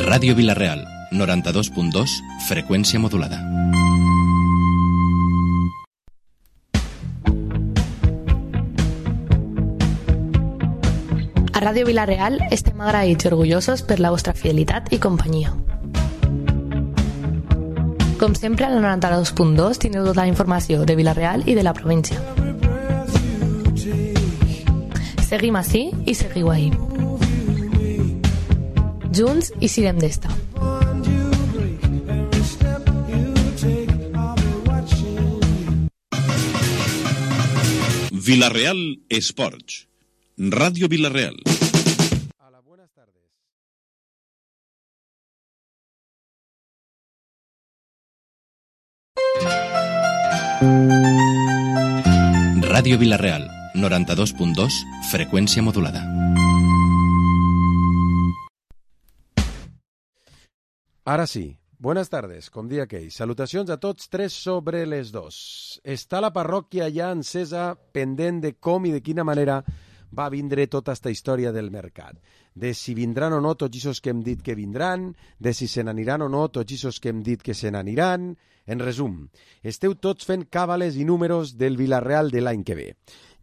Ràdio Vila-real, 92.2, freqüència modulada. A Ràdio Vila-real estem agraïts i orgullosos per la vostra fidelitat i companyia. Com sempre, a la 92.2 tindreu tota la informació de Vila-real i de la província. Seguim ací i seguiu ahí. Junts i siguem d'esta. Vila-real Esports. Radio Vila-real. Hola, buenas tardes. Ràdio Vila-real, 92.2, freqüència modulada. Ara sí, buenas tardes, com dia aquell. Salutacions a tots, 3 sobre les 2. Està la parròquia ja encesa, pendent de com i de quina manera va vindre tota esta història del mercat. De si vindran o no tots aquests que hem dit que vindran, de si se n'aniran o no tots aquests que hem dit que se n'aniran. En resum, esteu tots fent càbales i números del Vila-real de l'any que ve.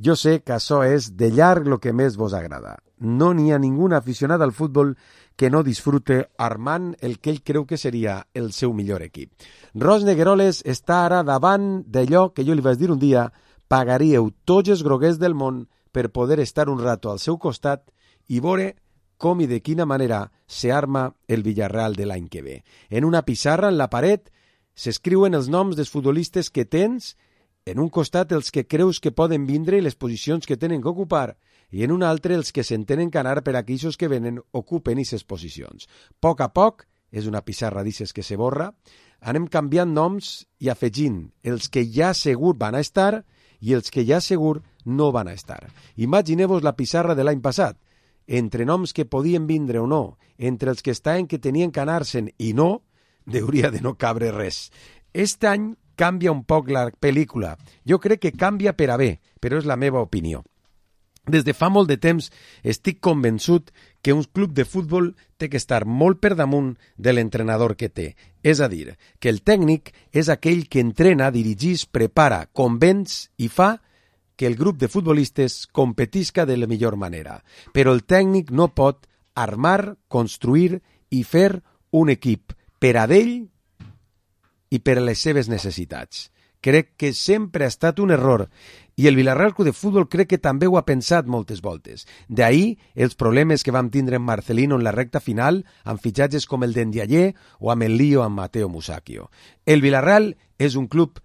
Jo sé que això és de llarg el que més vos agrada. No n'hi ha ningú aficionat al futbol que no disfrute armant el que ell creu que seria el seu millor equip. Ros Negueroles està ara davant d'allò que jo li vaig dir un dia: pagaríeu tots els groguers del món per poder estar un rato al seu costat i veure com i de quina manera se arma el Villarreal de l'any que ve. En una pissarra en la paret s'escriuen els noms dels futbolistes que tens, en un costat els que creus que poden vindre i les posicions que tenen que ocupar, i en un altre els que se'n tenen que anar per aquells que venen ocupen aquestes posicions. A poc, és una pissarra d'ixes que se borra, anem canviant noms i afegint els que ja segur van a estar i els que ja segur no van a estar. Imagineu-vos la pissarra de l'any passat, entre noms que podien vindre o no, entre els que estaven que tenien que anar-se'n i no, hauria de no cabre res. Este any canvia un poc la pel·lícula. Jo crec que canvia per a bé, però és la meva opinió. Des de fa molt de temps estic convençut que un club de futbol té que estar molt per damunt de l'entrenador que té. És a dir, que el tècnic és aquell que entrena, dirigís, prepara, convenç i fa que el grup de futbolistes competisca de la millor manera. Però el tècnic no pot armar, construir i fer un equip per a d'ell i per a les seves necessitats. Crec que sempre ha estat un error i el Vila-real Club de Futbol crec que també ho ha pensat moltes voltes. D'ahir els problemes que vam tindre en Marcelino en la recta final amb fitxatges com el d'Endiayer o amb el lío amb Mateo Musacchio. El Vila-real és un club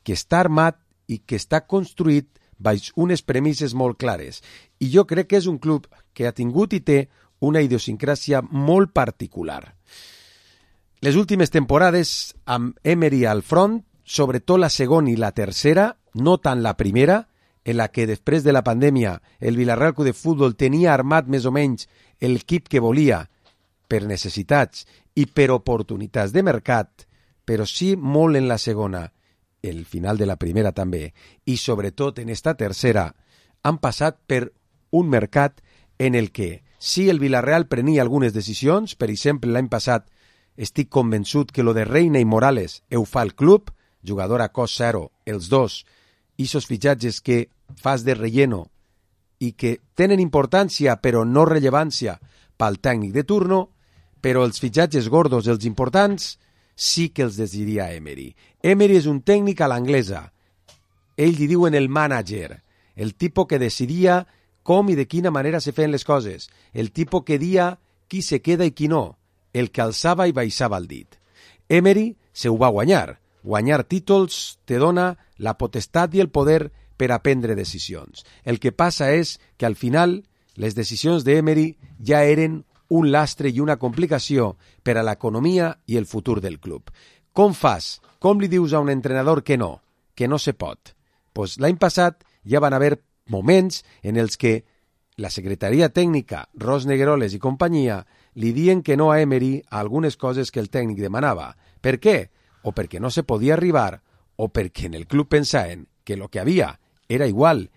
que està armat i que està construït baix unes premisses molt clares. I jo crec que és un club que ha tingut i té una idiosincràsia molt particular. Les últimes temporades amb Emery al front, sobretot la segona i la tercera, no tant la primera, en la que després de la pandèmia el Vila-real Club de Futbol tenia armat més o menys l'equip que volia per necessitats i per oportunitats de mercat, però sí molt en la segona, el final de la primera també, i sobretot en esta tercera, han passat per un mercat en el que sí el Vila-real prenia algunes decisions, per exemple l'any passat estic convençut que lo de Reina i Morales ho fa el club, jugador a cost zero, els dos, i esos fitxatges que fas de relleno i que tenen importància però no rellevància pel tècnic de turno, però els fitxatges gordos, els importants, sí que els decidiria Emery. Emery és un tècnic a l'anglesa. Ell li diuen el manager, el tipus que decidia com i de quina manera se feien les coses, el tipus que dia qui se queda i qui no, el que alçava i baixava el dit. Emery se ho va guanyar. Guanyar títols te dona la potestat i el poder per a prendre decisions. El que passa és que al final les decisions d'Emery ja eren un lastre i una complicació per a l'economia i el futur del club. Com fas? Com li dius a un entrenador que no se pot? Pues l'any passat ja van haver moments en els que la secretaria tècnica, Ros Negueroles i companyia, li dien que no a Emery a algunes coses que el tècnic demanava. Per què? O perquè no se podia arribar, o perquè en el club pensaven que el que havia era igual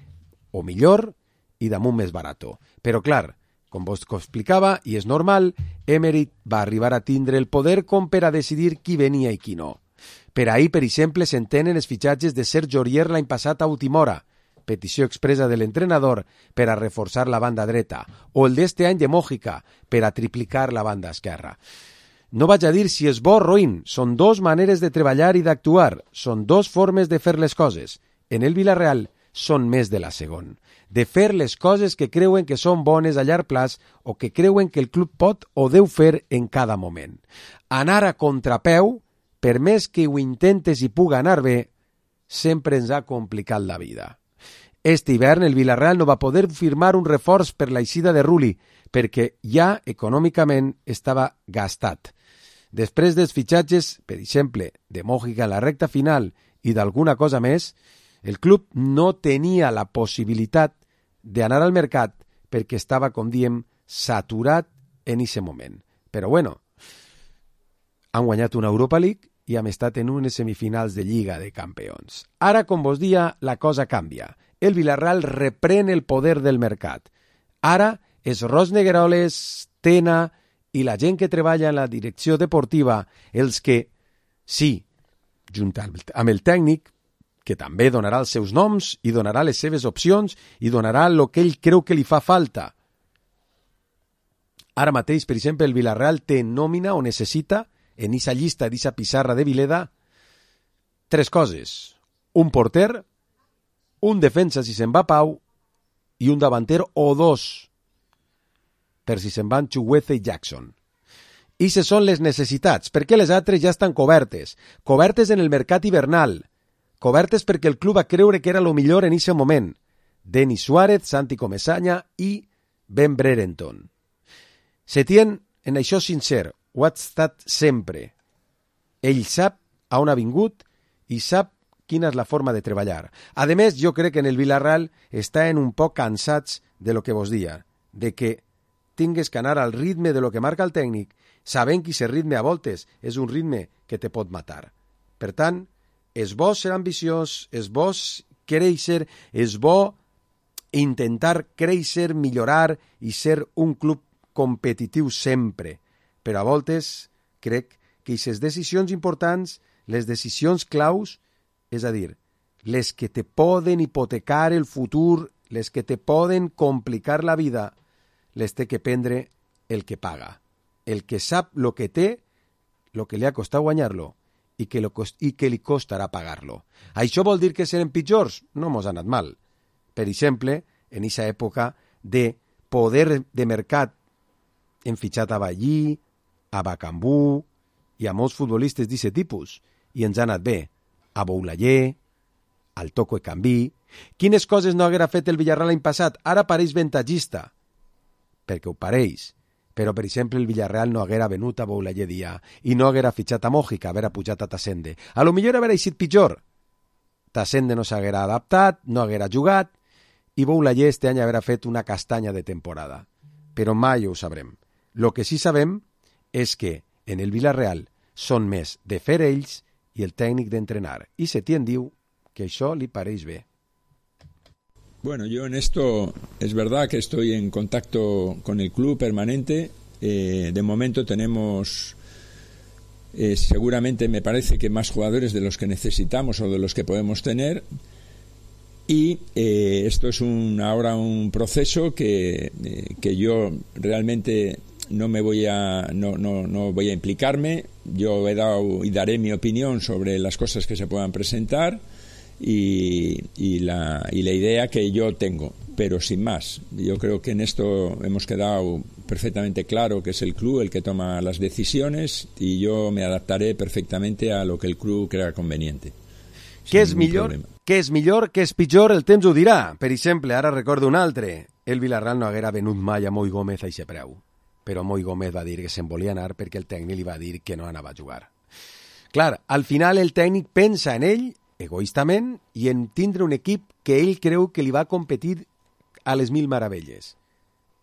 o millor i damunt més barato. Però clar, Com vos explicava, i és normal, Emery va arribar a tindre el poder com per a decidir qui venia i qui no. Per ahir, per exemple, s'entenen els fitxatges de Serge Aurier l'any passat a última hora, petició expressa de l'entrenador per a reforçar la banda dreta, o el d'este any de Mójica per a triplicar la banda esquerra. No vaig a dir si és bo o roïn, són dos maneres de treballar i d'actuar, són dos formes de fer les coses. En el Villarreal són més de la segon, de fer les coses que creuen que són bones a llarg plaç o que creuen que el club pot o deu fer en cada moment. Anar a contrapeu, per més que ho intentes i puga anar bé, sempre ens ha complicat la vida. Este hivern el Villarreal no va poder firmar un reforç per l'eixida de Rulli, perquè ja econòmicament estava gastat. Després dels fitxatges, per exemple, de Mójica en la recta final i d'alguna cosa més, el club no tenia la possibilitat d'anar al mercat perquè estava, com diem, saturat en aquest moment. Però bueno, han guanyat una Europa League i hem estat en unes semifinals de Lliga de Campions. Ara, com vos dia, la cosa canvia. El Villarreal reprèn el poder del mercat. Ara és Ros Negueroles, Tena i la gent que treballa en la direcció deportiva els que, sí, junt amb el tècnic, que també donarà els seus noms i donarà les seves opcions i donarà el que ell creu que li fa falta. Ara mateix, per exemple, el Villarreal té nòmina o necessita, en aquesta llista, d'aquesta pissarra de Vileda, 3 coses. Un porter, un defensa si se'n va Pau i un davanter o 2 per si se'n van Chugueze i Jackson. Ixes són les necessitats, perquè les altres ja estan cobertes. Cobertes en el mercat hivernal. Cobertes perquè el club va creure que era lo millor en aquest moment. Denis Suárez, Santi Comesaña i Ben Brereton. Setién, en això sincer, ho ha estat sempre. Ell sap a on ha vingut i sap quina és la forma de treballar. A més, jo crec que en el Villarreal estan un poc cansats de lo que vos dia, de que tingues que anar al ritme de lo que marca el tècnic, sabent que aquest ritme a voltes és un ritme que te pot matar. Per tant, és bo ser ambiciós, és bo créixer, és bo intentar créixer, millorar i ser un club competitiu sempre. Però a voltes crec que aquestes decisions importants, les decisions claus, és a dir, les que te poden hipotecar el futur, les que te poden complicar la vida, les té que prendre el que paga, el que sap lo que té, lo que li ha costat guanyar-lo i que li costarà pagar-lo. Això vol dir que serem pitjors? No mos ha anat mal. Per exemple, en aquesta època de poder de mercat hem fitxat a Ballí, a Bacambú i a molts futbolistes d'aquest tipus i ens ha anat bé. A Boulaye, al Toco Ekambi. Quines coses no haguera fet el Villarreal l'any passat? Ara pareix ventatgista, perquè ho pareix. Però, per exemple, el Villarreal no haguera venut a Boulaye dia i no haguera fitxat a Mójica, haguera pujat a Tassende. A lo millor haguera eixit pitjor. Tassende no s'haguera adaptat, no haguera jugat i Boulaye este any haguera fet una castanya de temporada. Però mai ho sabrem. Lo que sí sabem és que en el Villarreal són més de fer ells i el tècnic d'entrenar. Y Setién diu que això li pareix bé. Bueno, yo en esto es verdad que estoy en contacto con el club permanente. De momento tenemos seguramente, me parece que más jugadores de los que necesitamos o de los que podemos tener. Y esto es ahora un proceso que yo realmente no voy a implicarme. Yo he dado y daré mi opinión sobre las cosas que se puedan presentar y la idea que yo tengo, pero sin más. Yo creo que en esto hemos quedado perfectamente claro que es el club el que toma las decisiones y yo me adaptaré perfectamente a lo que el club crea conveniente. Què és millor, què és pitjor, el temps ho dirà. Per exemple, ara recordo un altre. El Villarreal no haguera venut mai a Moi Gómez a aquest preu. Però Moi Gómez va dir que se'n volia anar perquè el tècnic li va dir que no anava a jugar. Clar, al final el tècnic pensa en ell, egoistament, i en tindre un equip que ell creu que li va competir a les mil meravelles.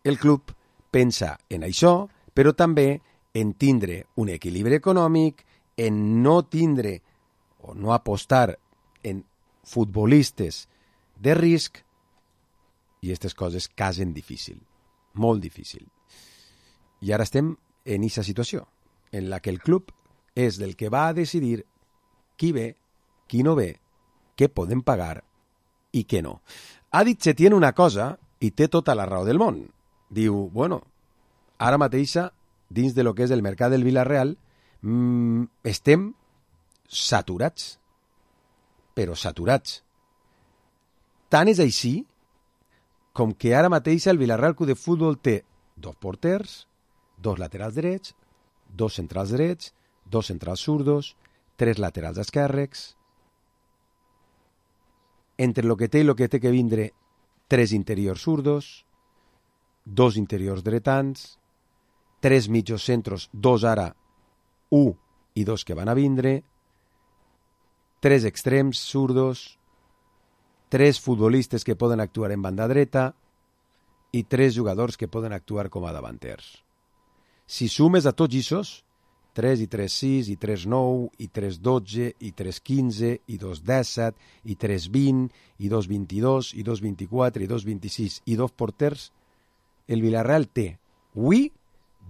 El club pensa en això, però també en tindre un equilibri econòmic, en no tindre o no apostar en futbolistes de risc, i aquestes coses casen difícil, molt difícil. I ara estem en aquesta situació, en la que el club és del que va a decidir qui ve, qui no ve, què podem pagar i què no. Ha dit Setién una cosa i té tota la raó del món. Diu, bueno, ara mateixa, dins de lo que és el mercat del Villarreal, estem saturats, però saturats. Tant és així com que ara mateix el Villarreal Club de Futbol té 2 porters, 2 laterals drets, 2 centrals drets, 2 centrals zurdos, 3 laterals esquerres. Entre lo que té i lo que té que vindre, 3 interiors zurdos, 2 interiors dretans, 3 mitjos centros, 2 ara, 1 i 2 que van a vindre, 3 extrems zurdos, 3 futbolistes que poden actuar en banda dreta i 3 jugadors que poden actuar com a davanters. Si sumes a tots aquests, 3 i 3, 6, i 3, 9, i 3, 12, i 3, 15, i 2, 17, i 3, 20, i 2, 22, i 2, 24, i 2, 26, i 2 porters, el Villarreal té avui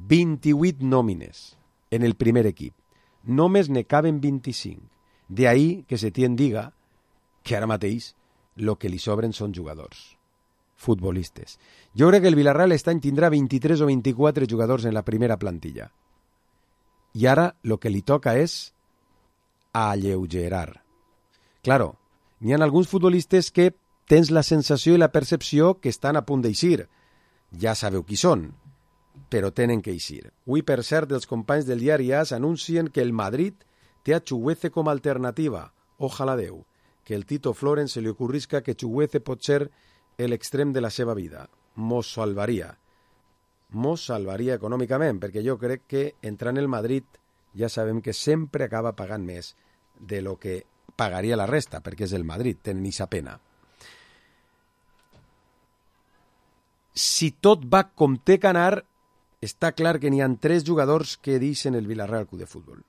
28 nòmines en el primer equip. Només ne caben 25. De ahí que Setién diga que ara mateix el que li sobren són jugadors, futbolistes. Jo crec que el Villarreal aquest any tindrà 23 o 24 jugadors en la primera plantilla. I ara el que li toca és alleugerar. Claro, n'hi ha alguns futbolistes que tens la sensació i la percepció que estan a punt d'eixir. Ja sabeu qui són, però tenen que eixir. Avui, per cert, els companys del diari AS anuncien que el Madrid té a Chugueze com a alternativa. Ojalà Déu, que el Tito Florent se li ocorrisca que Chugueze pot ser l'extrem de la seva vida. Mos salvaria econòmicament, perquè jo crec que entrant el Madrid ja sabem que sempre acaba pagant més de lo que pagaria la resta, perquè és el Madrid, tenen aquesta pena. Si tot va com té que anar, està clar que n'hi ha 3 jugadors que deixen el Villarreal Club de Futbol.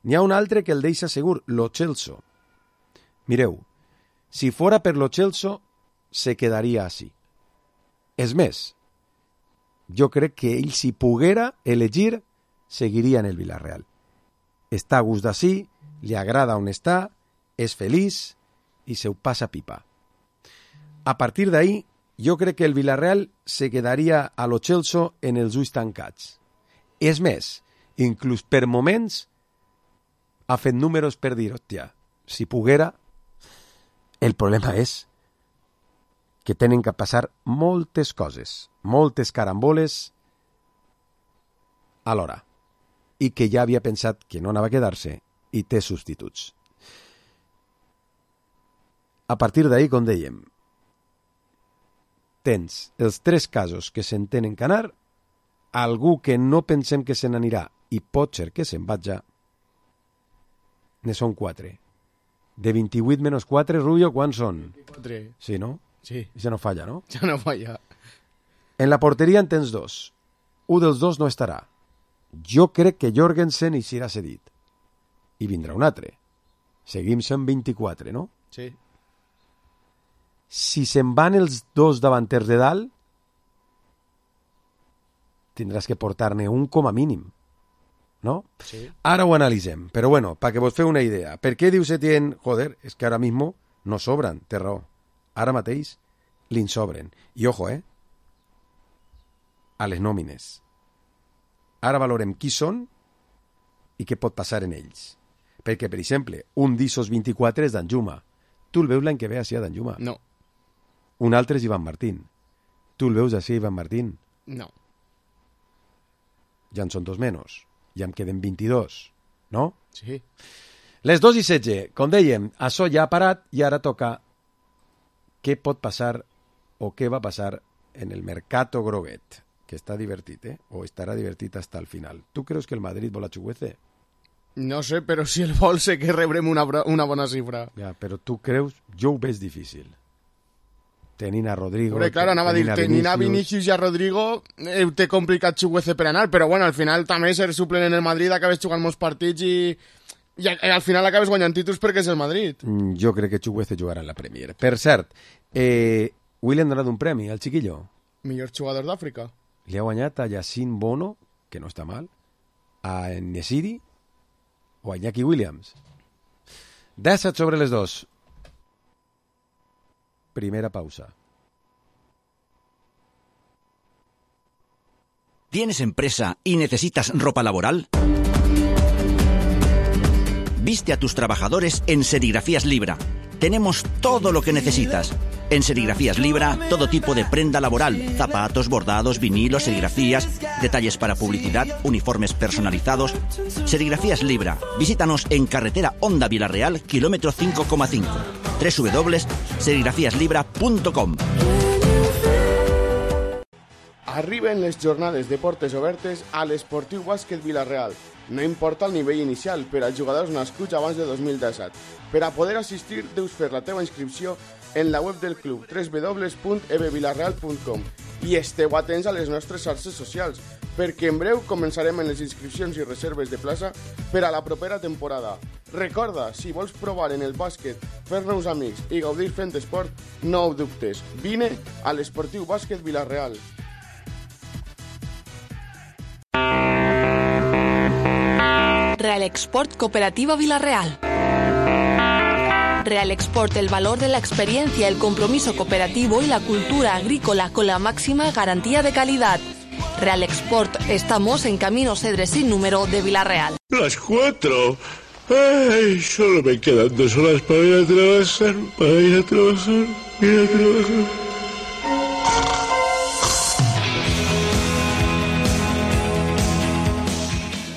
N'hi ha un altre que el deixa segur, Lo Celso. Mireu, si fora per Lo Celso, se quedaria així. És més, jo crec que ell, si poguera elegir, seguiria en el Villarreal. Està a gust d'ací, li agrada on està, és feliç i se ho passa pipa. A partir d'ahí, jo crec que el Villarreal se quedaria a Lo Celso en els ulls tancats. És més, inclús per moments ha fet números per dir, hòstia, si poguera, el problema és que tenen que passar moltes coses, moltes caramboles alhora, i que ja havia pensat que no anava a quedar-se i té substituts. A partir d'ahí, com dèiem, tens els 3 casos que se'n tenen que anar, algú que no pensem que se n'anirà i pot ser que se'n vagi, ne són 4. De 28 menys 4, Rubio, quants són? 24. Sí, no? Sí. Ja no falla, no? Ja no falla. En la porteria en tens 2. Un dels 2 no estarà. Jo crec que Jorgensen hi serà cedit. I vindrà un altre. Seguim sent 24, no? Sí. Si se'n van els 2 davanters de dalt, tindràs que portar-ne un com a mínim. ¿No? Sí. Ara ho analitzem, però bueno, perquè vos feu una idea. Per què diu Setién, joder, és que ara mismo no sobran, té raó. Ara mateix li'n sobren. I ojo, a les nòmines. Ara valorem qui són i què pot passar en ells. Perquè, per exemple, un d'Issos 24 és Danjuma. Tu el veus l'any que ve així a Danjuma? No. Un altre és Ivan Martín. Tu el veus així, Ivan Martín? No. Ja en són 2 menys. Ja em queden 22, no? Sí. Les 2:16, com dèiem, això ja ha parat i ara toca què pot passar o què va passar en el mercato groguet, que està divertit, o estarà divertit fins al final. Tu creus que el Madrid vol a Chugueze? No sé, però si el vol sé que rebrem una bona xifra. Ja, però tu creus? Jo ho veig difícil. Tenint a Rodrigo... Però, clar, anava a dir, tenint a Vinicius i a Rodrigo té complicat Chugueze per anar, però bueno, al final també ser suplent en el Madrid acabes jugant molts partits i al final acabes guanyant títols perquè és el Madrid. Jo crec que Chugueze jugarà en la Premier. Per cert, avui li han donat un premi al chiquillo. Millor jugador d'Àfrica. li ha guanyat a Yacine Bono, que no està mal, a Nesiri o a Iñaki Williams. 17 sobre les 2. Primera pausa. ¿Tienes empresa y necesitas ropa laboral? Viste a tus trabajadores en Serigrafías Libra. Tenemos todo lo que necesitas. En Serigrafías Libra, todo tipo de prenda laboral, zapatos, bordados, vinilos, serigrafías, detalles para publicidad, uniformes personalizados. Serigrafías Libra. Visítanos en carretera Honda Vilareal, kilómetro 5,5. www.serigrafiaslibra.com. Arriben les jornades de portes obertes a l'Esportiu Bàsquet Vila-real. No importa el nivell inicial per als jugadors nascuts abans de 2017. Per a poder assistir, deus fer la teva inscripció en la web del club www.ebvilarreal.com i esteu atents a les nostres xarxes socials, perquè en breu començarem en les inscripcions i reserves de plaça per a la propera temporada. Recorda, si vols provar en el bàsquet, fer-nos amics i gaudir fent esport, no ho dubtes. Vine a l'Esportiu Bàsquet Vila-real. Real Export Cooperativa Vila-real. Real Export, el valor de la experiencia, el compromiso cooperativo y la cultura agrícola con la máxima garantía de calidad. Real Export, estamos en Camino Cedres sin número de Vila-real. Las 4. Ay, solo me quedan 2 horas para ir a trabajar,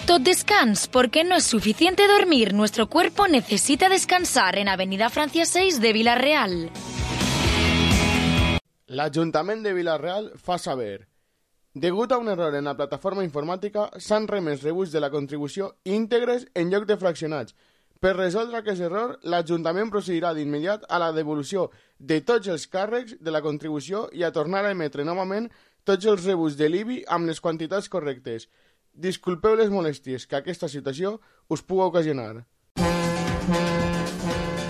Tot descans, porque no es suficiente dormir. Nuestro cuerpo necesita descansar en Avenida Francia 6 de Vila-real. L'Ajuntament de Vila-real fa saber. Degut a un error en la plataforma informàtica, s'han remès rebuts de la contribució íntegres en lloc de fraccionats. Per resoldre aquest error, l'Ajuntament procedirà d'immediat a la devolució de tots els càrrecs de la contribució i a tornar a emetre novament tots els rebuts de l'IBI amb les quantitats correctes. Disculpeu les molèsties que aquesta situació us puga ocasionar.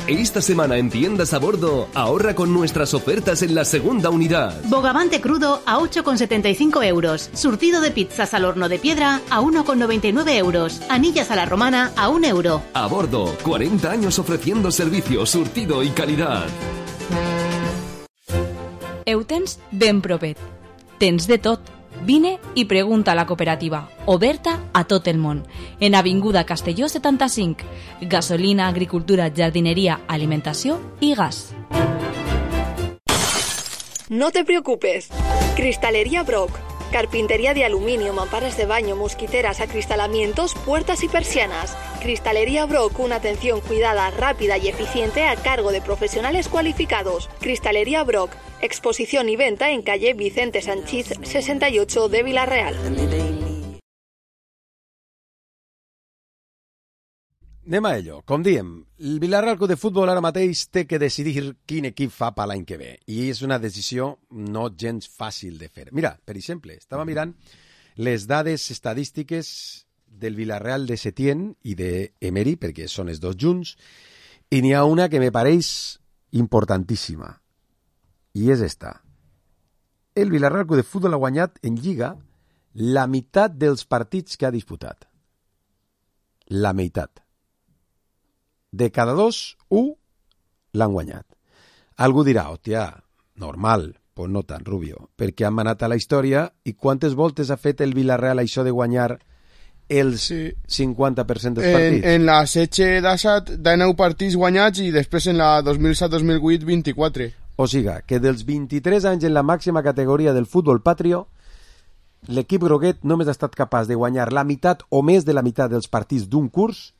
Esta semana en Tiendas a Bordo, ahorra con nuestras ofertas en la segunda unidad. Bogavante crudo a 8,75 euros. Surtido de pizzas al horno de piedra a 1,99 euros. Anillas a la romana a 1 euro. A Bordo, 40 años ofreciendo servicio, surtido y calidad. Eutens ben propet. Tens de tot. Vine i pregunta a la cooperativa, oberta a tot el món, en Avinguda Castelló 75, gasolina, agricultura, jardineria, alimentació i gas. No te preocupes. Cristalería Brock. Carpintería de aluminio, mamparas de baño, mosquiteras, acristalamientos, puertas y persianas. Cristalería Brock, una atención cuidada, rápida y eficiente a cargo de profesionales cualificados. Cristalería Brock, exposición y venta en calle Vicente Sanchís 68 de Vila-real. Anem a ello. Com diem, el Vila-real Club de Futbol ara mateix té que decidir quin equip fa per l'any que ve. I és una decisió no gens fàcil de fer. Mira, per exemple, estava mirant les dades estadístiques del Vila-real de Setién i d'Emery, perquè són els dos junts, i n'hi ha una que me pareix importantíssima. I és esta. El Vila-real Club de Futbol ha guanyat en Lliga la meitat dels partits que ha disputat. La meitat. De cada 2, 1 l'han guanyat. Algú dirà, hòstia, normal, pues no tan, Rubio, perquè han manat a la història i quantes voltes ha fet el Vila-real això de guanyar el 50% dels partits? En la setge d'Assat, 19 partits guanyats i després en la 2007-2008, 24. O sigui, que dels 23 anys en la màxima categoria del futbol patrio, l'equip groguet només ha estat capaç de guanyar la meitat o més de la meitat dels partits d'un curs.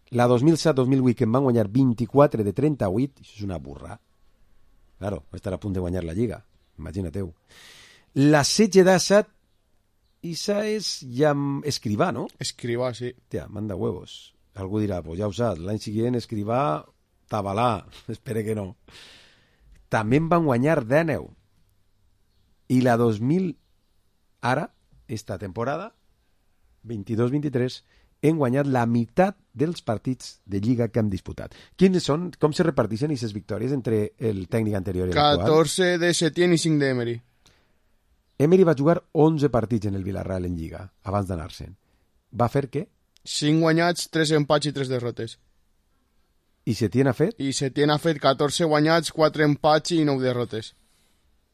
La 2007-2008, que en van guanyar 24 de 38, això és una burra. Claro, va estar a punt de guanyar la Lliga, imagina-teu. La setge d'Assat, Isa és ja Escrivà, no? Escrivà, sí. Tia, manda huevos. Algú dirà, pues ja ho saps, l'any següent Escrivà, Tabalà, espere que no. També en van guanyar 19. I la 2000, ara, esta temporada, 22-23, hem guanyat la meitat dels partits de Lliga que hem disputat. Quins són? Com se reparteixen aquestes victòries entre el tècnic anterior i l'actual? 14 de Setién i 5 d'Emery. Emery va jugar 11 partits en el Villarreal en Lliga, abans d'anar-se'n. Va fer què? 5 guanyats, 3 empats i 3 derrotes. I Setién ha fet? I Setién ha fet 14 guanyats, 4 empats i 9 derrotes.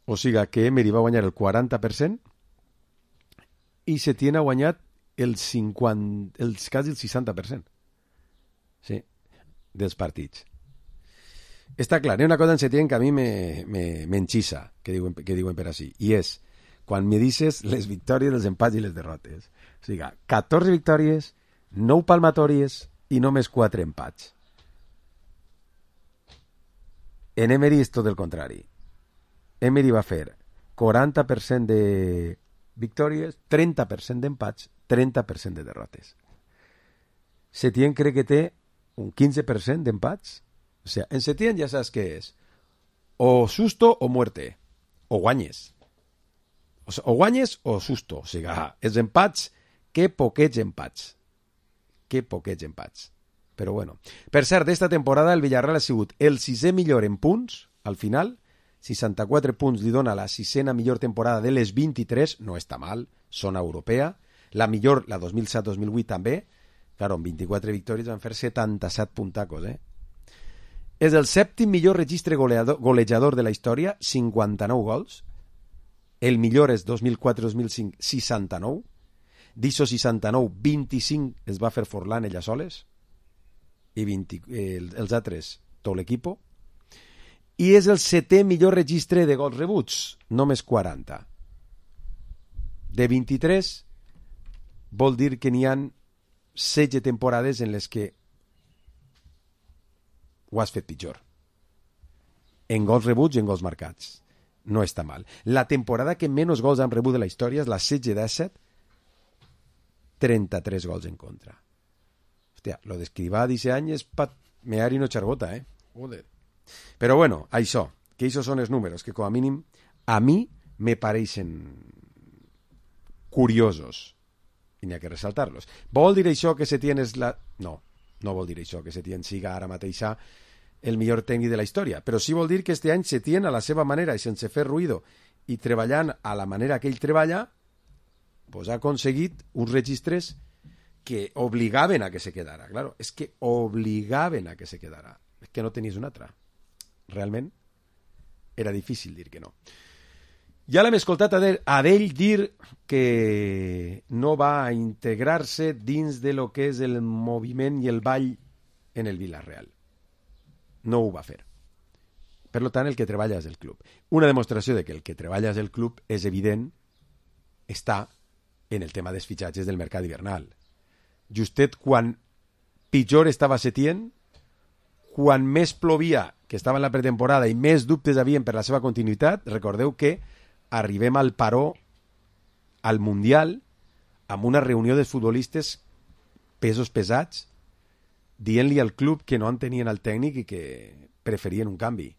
O sigui que Emery va guanyar el 40% i Setién ha guanyat quasi el 60%. Sí, dels partits. Està clar, hi ha una cosa en Setién que a mi m'enxissa, que diuen per així, i és quan me dices les victòries, els empats i les derrotes. O sigui, 14 victòries, 9 palmatòries i només 4 empats. En Emery és tot el contrari. Emery va fer 40% de victòries, 30% d'empats, 30% de derrotes. Setién crec que té un 15% d'empats. O sigui, en Setién ja saps què és. O susto o muerte. O guanyes. O guanyes o susto. O sigui, els empats, que poquets empats. Que poquets empats. Però bueno. Per cert, d'esta temporada el Villarreal ha sigut el 6è millor en punts, al final. 64 punts li dona la 6a millor temporada de les 23, no està mal, zona europea. La millor, la 2007-2008 també. Claro, amb 24 victòries van fer 77 puntacos, És el 7è millor registre golejador de la història, 59 gols. El millor és 2004-2005, 69. D'Iso 69, 25 es va fer Forlán ella soles. I els altres, tot l'equip. I és el 7è millor registre de gols rebuts, només 40. De 23, vol dir que n'hi ha 16 temporades en les que ho has fet pitjor. En gols rebuts i en gols marcats. No està mal. La temporada que menys gols han rebut de la història és la 16-17, 33 gols en contra. Hòstia, lo d'escrivar d'aquest any és mear i no xargota, Joder. Però bueno, això, que això són els números que com a mínim a mi me pareixen curiosos i n'hi ha que ressaltar-los. Vol dir això que Setién és la... No vol dir això que Setién siga ara mateixa el millor tècnic de la història, però sí vol dir que este any Setién a la seva manera i sense fer ruïdo i treballant a la manera que ell treballa, pues ha aconseguit uns registres que obligaven a que se quedara. Claro, és que obligaven a que se quedara. És que no tenies una altra. Realment era difícil dir que no. Ja l'hem escoltat a d'ell dir que no va integrar-se dins de lo que és el moviment i el ball en el Villarreal. No ho va fer. Per tant, el que treballa és el club. Una demostració de que el que treballa és el club és evident està en el tema dels fitxatges del mercat hivernal. Justet quan pitjor estava Setién, quan més plovia, que estava en la pretemporada, i més dubtes havien per la seva continuïtat, recordeu que arribem al paró, al Mundial, amb una reunió dels futbolistes pesos pesats, dient-li al club que no entenien el tècnic i que preferien un canvi.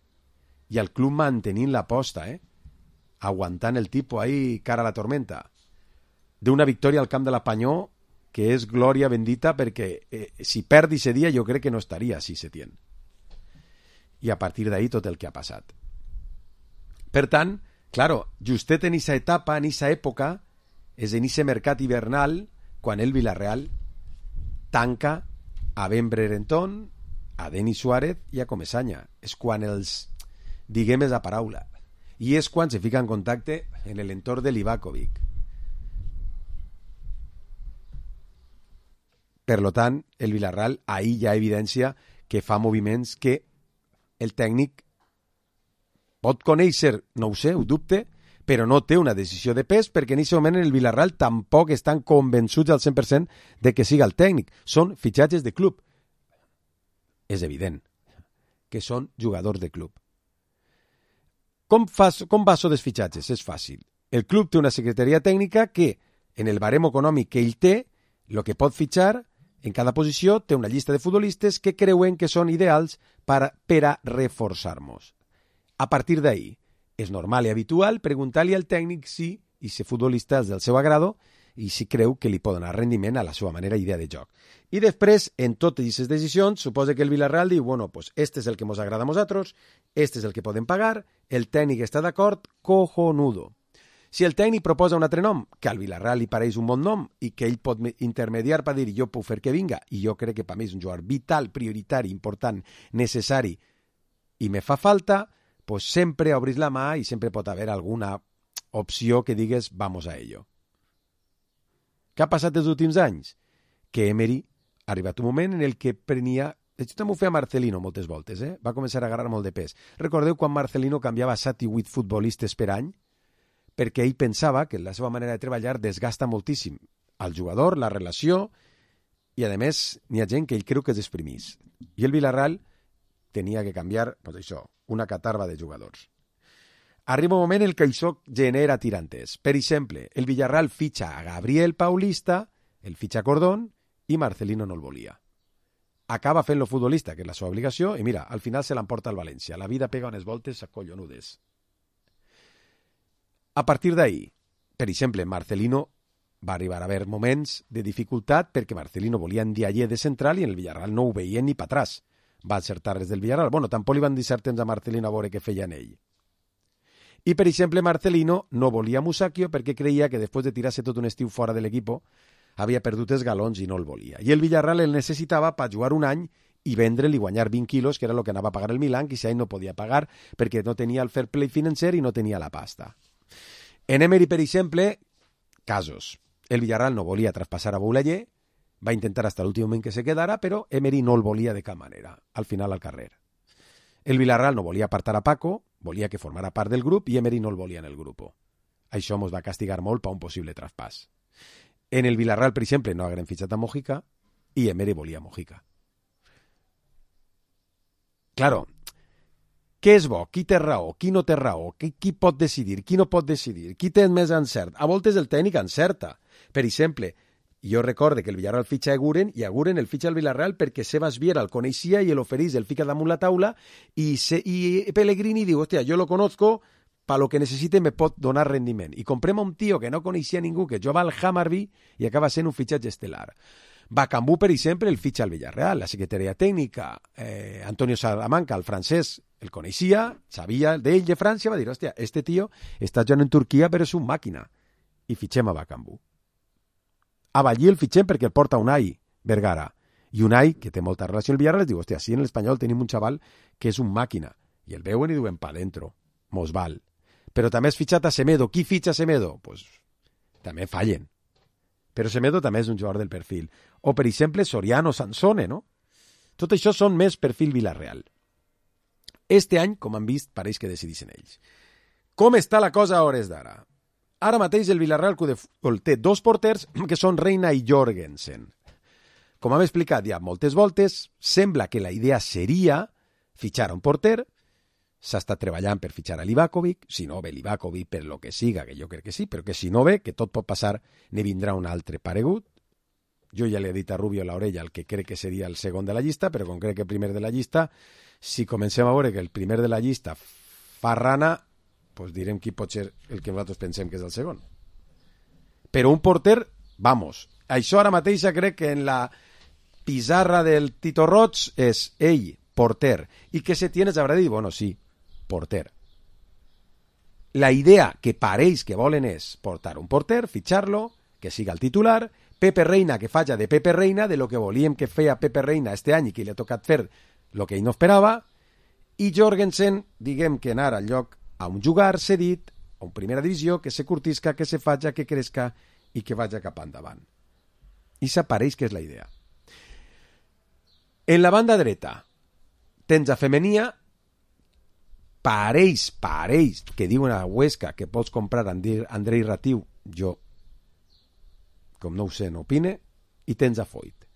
I el club mantenint l'aposta, aguantant el tipus ahí cara a la tormenta. D'una victòria al camp de la Panyó, que és glòria bendita, perquè si perdi ese dia jo crec que no estaria així Setién. I a partir d'ahí tot el que ha passat. Per tant, claro, justet en esa etapa, en esa època, és en ese mercat hivernal, quan el Villarreal tanca a Ben Brereton, a Denis Suárez i a Comesaña. És quan els, diguem esa paraula. I és quan se fica en contacte en l'entorn de Livakovic. Per tant, el Villarreal ahí ja evidencia que fa moviments que el tècnic pot conèixer, no ho sé, ho dubte, però no té una decisió de pes perquè en aquest moment el Villarreal tampoc estan convençuts al 100% de que siga el tècnic. Són fitxatges de club. És evident que són jugadors de club. Com va això dels fitxatges? És fàcil. El club té una secretaria tècnica que, en el baremo econòmic que ell té, el que pot fitxar en cada posició té una llista de futbolistes que creuen que són ideals per a reforçar-nos. A partir d'ahí, és normal i habitual preguntar-li al tècnic si aquest futbolista és del seu agrado i si creu que li pot donar rendiment a la seva manera i idea de joc. I després, en totes aquestes decisions, suposa que el Villarreal diu, bueno, pues este és el que ens agrada a nosaltres, este és el que podem pagar, el tècnic està d'acord, cojonudo. Si el tècnic proposa un altre nom, que al Villarreal li pareix un bon nom i que ell pot intermediar per dir jo puc fer que vinga, i jo crec que per mi és un jugador vital, prioritari, important, necessari, i me fa falta, pues sempre obris la mà i sempre pot haver alguna opció que digues vamos a ello. Què ha passat els últims anys? Que Emery ha arribat un moment en el que prenia... Això també ho feia Marcelino moltes voltes, va començar a agarrar molt de pes. Recordeu quan Marcelino canviava 7 i 8 futbolistes per any? Perquè ell pensava que la seva manera de treballar desgasta moltíssim al jugador, la relació, i a més n'hi ha gent que ell creu que es desprimís. I el Villarreal tenia que canviar, pues això, una catarba de jugadors. Arriba un moment en què això genera tirantes. Per exemple, el Villarreal fitxa a Gabriel Paulista, el fitxa a Cordón, i Marcelino no el volia. Acaba fent-lo futbolista, que és la seva obligació, i mira, al final se l'emporta al València. La vida pega unes voltes collonudes. A partir d'ahí, per exemple, Marcelino va arribar a haver moments de dificultat perquè Marcelino volia Ndiaye de central i en el Villarreal no ho veien ni per atràs. Va acertar res del Villarreal. Bueno, tampoc li van dir cert temps a Marcelino a veure què feia en ell. I, per exemple, Marcelino no volia Musacchio perquè creia que després de tirar-se tot un estiu fora de l'equip havia perdut els galons i no el volia. I el Villarreal el necessitava per jugar un any i vendre'l i guanyar 20 quilos, que era el que anava a pagar el Milan, que si ell no podia pagar perquè no tenia el fair play financer i no tenia la pasta. En Emery, per exemple, casos. El Villarreal no volia traspassar a Boulaye, va intentar hasta l'últim moment que se quedara, però Emery no el volia de cap manera, al final al carrer. El Villarreal no volia apartar a Paco, volia que formara part del grup i Emery no el volia en el grup. Això ens va castigar molt per un possible traspàs. En el Villarreal, per exemple, no hagueren fitxat a Mojica i Emery volia Mojica. Claro, què és bo? Qui té raó? Qui no té raó? Qui pot decidir? Qui no pot decidir? Qui té més encert? A voltes el tècnic encerta. Per exemple, jo recorde que el Villarreal fitxa a Eguren i Eguren el fitxa al Villarreal perquè Sebas Viera el coneixia i l'oferís, el fica damunt la taula i Pellegrini diu, hòstia, jo lo conozco, para lo que necessite me pot donar rendiment. I comprem a un tio que no coneixia ningú, que jugava al Hammarby i acaba sent un fitxatge estel·lar. Bacambú, per exemple, el fitxa al Villarreal, la secretaria tècnica, Antonio Salamanca, el francès, el coneixia, sabia d'ell de França, va dir, hòstia, este tio està jugant en Turquia però és un màquina. I fitxem a Bacambú. A Ballí el fitxem perquè el porta Unai Vergara. I Unai, que té molta relació amb el Villarreal, diu, hòstia, sí, en l'Espanyol tenim un xaval que és un màquina. I el veuen i diuen, pa dentro, mos val. Però també has fitxat a Semedo. Qui fitxa a Semedo? Pues també fallen. Però Semedo també és un jugador del perfil. O, per exemple, Soriano, Sansone, no? Tot això són més perfil Villarreal. Este any, com han vist, pareix que decidissin ells. Com està la cosa a hores d'ara? Ara mateix el Villarreal té 2 porters que són Reina i Jorgensen. Com hem explicat ja moltes voltes, sembla que la idea seria fitxar un porter. S'ha estat treballant per fitxar a Livakovic, si no ve Livakovic per lo que siga, que jo crec que sí, però que si no ve, que tot pot passar, ne vindrà un altre paregut. Jo ja li he dit a Rubio a l'orella el que crec que seria el segon de la llista, però com crec que el primer de la llista, si comencem a veure que el primer de la llista fa rana, pues direm qui pot ser el que nosaltres pensem que és el segon. Però un porter, vamos, això ara mateix crec que en la pissarra del Tito Roig és ell, porter, i que se tienes habrá dit, bueno, sí, porter. La idea que pareix que volen és portar un porter, fitxar-lo, que siga el titular, Pepe Reina que faja de Pepe Reina, de lo que volíem que feia Pepe Reina este any i que li ha tocat fer lo que ell no esperava, i Jorgensen, diguem que anar al lloc a un jugar cedit, a una primera divisió, que se curtisca, que se faja, que cresca i que vaja cap endavant. I s'apareix que és la idea. En la banda dreta tens a Femenia, pareix, que diuen a Huesca que pots comprar Andrei Ratiu, jo, com no ho sé, no opine, i tens a Foyt.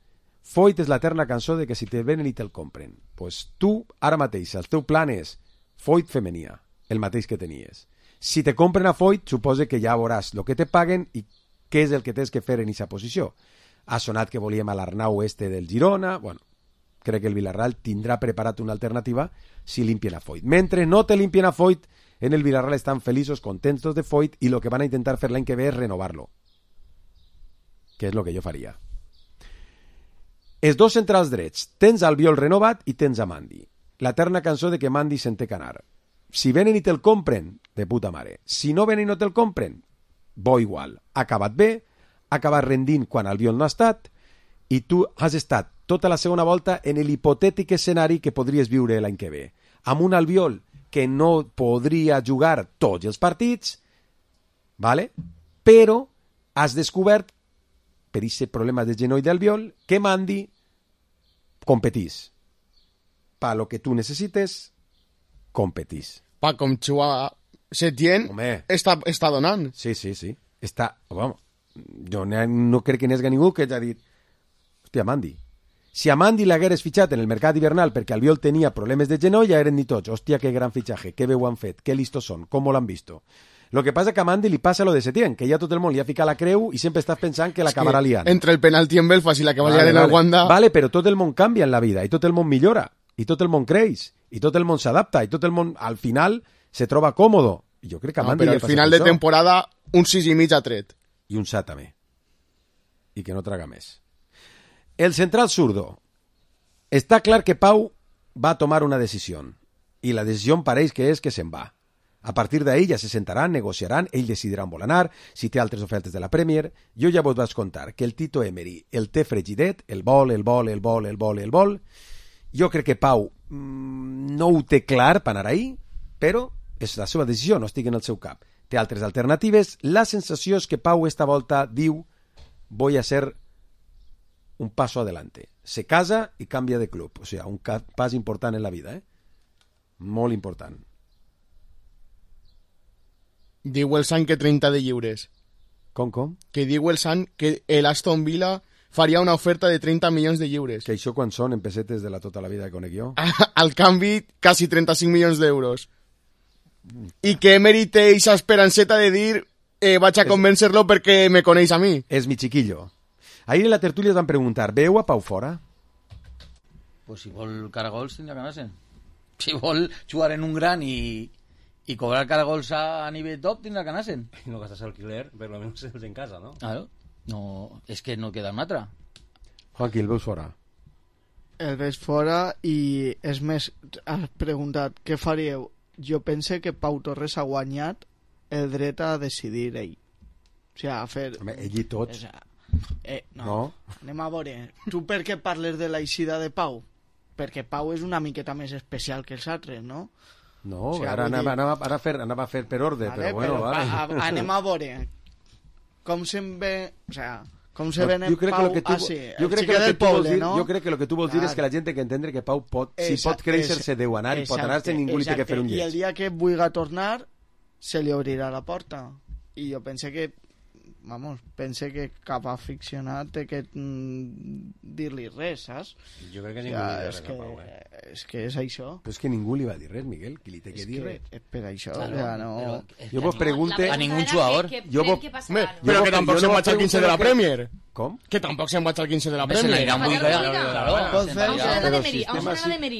Foyt és l'eterna cançó de que si te venen i te'l compren. Pues tu, ara mateix, el teu plan és Foyt Femenia, el mateix que tenies. Si te compren a Foyt, suposa que ja veuràs el que te paguen i què és el que tens que fer en aquesta posició. Ha sonat que volíem a l'Arnau este del Girona, bueno, crec que el Villarreal tindrà preparat una alternativa si limpien a Foyt. Mentre no te limpien a Foyt, en el Villarreal estan feliços, contentos de Foyt i el que van a intentar fer l'any que ve és renovar-lo, que és el que jo faria. Els 2 centrals drets, tens Albiol renovat i tens a Mandi. L'eterna cançó de que Mandi se'n té que anar. Si venen i te'l compren, de puta mare. Si no venen i no te'l compren, bo igual. Ha acabat bé, ha acabat rendint quan Albiol no ha estat, i tu has estat tota la segona volta en l'hipotètic escenari que podries viure l'any que ve. Amb un Albiol que no podria jugar tots els partits, ¿vale? Però has descobert, per aquest problema de genoll d'Albiol, que Mandi competís. Pa lo que tu necessites, competís. Pa com Chua Setién està donant. Sí. Està, vamos, jo no crec que n'hi hagi ningú que hagi dit hòstia, Mandi. Si a Mandi l'hagueres fitxat en el mercat hivernal perquè Albiol tenia problemes de genoll, ja eren dit tots, hòstia, que gran fitxatge, que bé ho han fet, que listos són, com l'han visto. Lo que passa que a Mandi li passa lo de Setién, que ja tot el món li ha ficat la creu i sempre estàs pensant que l'acabarà liant. Entre el penalti en Belfast i la que va liar en el Wanda... Vale, però tot el món canvia en la vida, i tot el món millora, i tot el món creix, i tot el món s'adapta, i tot el món, al final, se troba còmodo. I jo crec que a Mandi però al final de temporada, un 6,5 ha tret. I un 7 també. I que no traga més. El central zurdo. Està clar que Pau va a tomar una decisió, i la decisió pareix que és que se'n va. A partir d'ahí ja se sentaran, negociaran, ell decidirà on vol anar, si té altres ofertes de la Premier. Jo ja vos vaig contar que el Tito Emery el té fregidet, el vol. Jo crec que Pau no ho té clar per anar ahí, però és la seva decisió, no estic en el seu cap. Té altres alternatives. La sensació és que Pau esta volta diu voy a ser un paso adelante. Se casa i canvia de club. O sigui, un pas important en la vida, molt important. Diu el Sant que 30 de lliures. Com? Que diu el Sant que l'Aston Villa faria una oferta de 30 milions de lliures. Que això quan són en pessetes de la tota la vida que conec jo? Al canvi, quasi 35 milions d'euros. I que Emery té aquesta esperanceta de dir vaig a convèncer-lo perquè me coneix a mi. És mi chiquillo. Ahir en la tertúlia es van preguntar, veu a Pau fora? Pues si vol caragols tindrà que anar-se'n. Si vol jugar en un gran i cobrar caragols a nivell top tindrà que anar-se'n. I no gastes alquiler, per lo menos en casa, no? Claro. No, és que no queda una altra. Joaquí, el veus fora? El veig fora i és més, has preguntat què faríeu? Jo pense que Pau Torres ha guanyat el dret a decidir ell. O sigui, a fer... Home, ell i tots. No. Anem a veure. Tu per què parles de l'eixida de Pau? Perquè Pau és una miqueta més especial que els altres, no? No, o sigui, ara anava a fer per ordre, vale, però bueno, vale. Anem a veure com se'n ve... O sigui, com se ven en Pau... Jo crec que el que tu vols dir és que la gent té que entendre que Pau pot, si pot créixer, se deu anar, i pot anar-se, ningú li té que fer un lleig. I el dia que vulgui tornar, se li obrirà la porta. I jo pense que cap aficionat té que dir-li res, saps? Jo crec que ningú li dirà res a Pau, És que és això. Però és que ningú li va dir res, Miguel, qui li té que dir res. Per això, no... Jo vos pregunte... A ningún jugador. Però que tampoc se'n vaig al 15 de la Premier. Com? Que tampoc se'n vaig al 15 de la Premier.